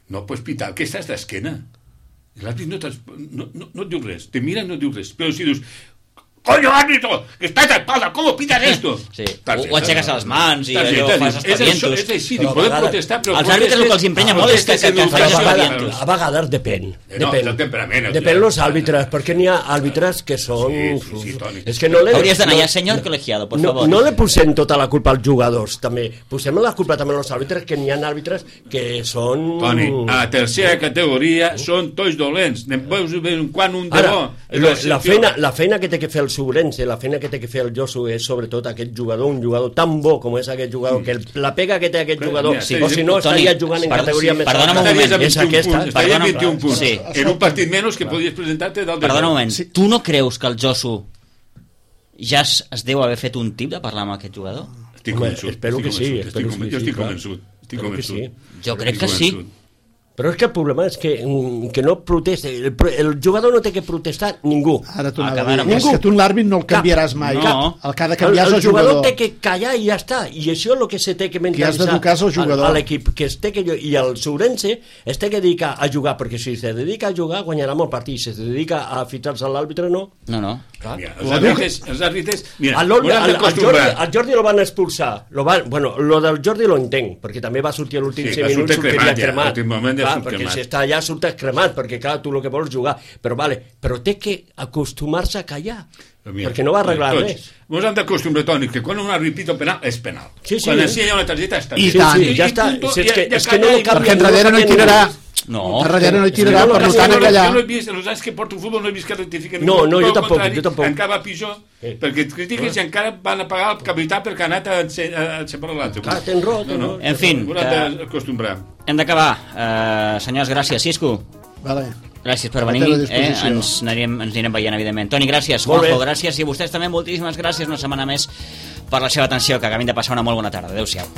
B: no pots pitar, que estàs d'esquena. L'àrbit no et diu res, te mira i no et diu res, però si dius, coño árbitro, que estás de espalda, ¿cómo pitas esto?
A: Sí, o aixeques les mans i allò fas espadientos.
B: És així, podem protestar, però...
A: Els àrbitres el que els emprenya molt és que fas espadientos.
D: A vegades depèn.
B: Del temperament.
D: Depèn los àrbitres, perquè n'hi ha àrbitres que són...
B: És
D: que no
A: hauries d'anar ja, senyor colegiado, por favor.
D: No le posem tota la culpa als jugadors, també. Posem la culpa també als àrbitres, que n'hi ha àrbitres que són...
B: Toni, a tercera categoria són tots dolents. Ne veus quan un de bo...
D: La feina que té que fer el Sobrense, la feina que té que fer el Josu és sobretot aquest jugador, un jugador tan bo com és aquest jugador, que la pega que té aquest jugador, o si no estaria jugant en categoria més
A: alta. Perdona un moment,
B: és aquesta. Estaria 21 punts, en un partit menys que podies presentar-te dalt de...
A: Perdona un moment, tu no creus que el Josu ja es deu haver fet un tip de parlar amb aquest jugador?
B: Estic convençut.
D: Espero que sí.
B: Jo estic convençut.
A: Jo crec que sí.
D: Però és que el problema és que no protesta. El jugador no té que protestar ningú.
C: Ara tu és que tu l'àrbit no el canviaràs mai.
A: No.
C: El que ha de canviar és el jugador.
D: Té que callar i ja està. I això és el que se té que mentalitzar a l'equip. I el Sobrense es té que dedicar a jugar, perquè si se dedica a jugar guanyarà molt partit. Si se dedica a fitar-se a l'àrbitre, no.
A: No.
B: Els àrbitres...
D: Al Jordi el van expulsar. Lo del Jordi lo entenc, perquè també va sortir a l'últim 5 minuts, sortiria cremat. Perquè si està allà surtes cremat, perquè clar, tu el que vols jugar, però té que acostumar-se a callar, perquè no va arreglar res.
B: Ens hem d'acostumar, Toni, que quan un àrbit pita penal és penal. Quan ensenya una targeta està
C: bé. I tant,
D: ja està. És que no canvia.
C: Perquè enrere no hi tirarà.
A: No,
C: darrere no hi tirarà, per tant a callar.
B: Jo no he vist, els anys que porto futbol no he vist que rectifiquen.
D: No, jo tampoc.
B: Encara va pitjor, perquè et critiques i encara van a pagar el capità perquè ha anat a separar l'altre.
D: Clar, tens raó.
A: En fi, hem d'acabar. Senyors, gràcies. Cisco.
C: Vale.
A: Gràcies per venir, ens anirem veient, evidentment. Toni, gràcies. Juanjo, gràcies. I a vostès també moltíssimes gràcies una setmana més per la seva atenció, que acabin de passar una molt bona tarda. Adéu-siau.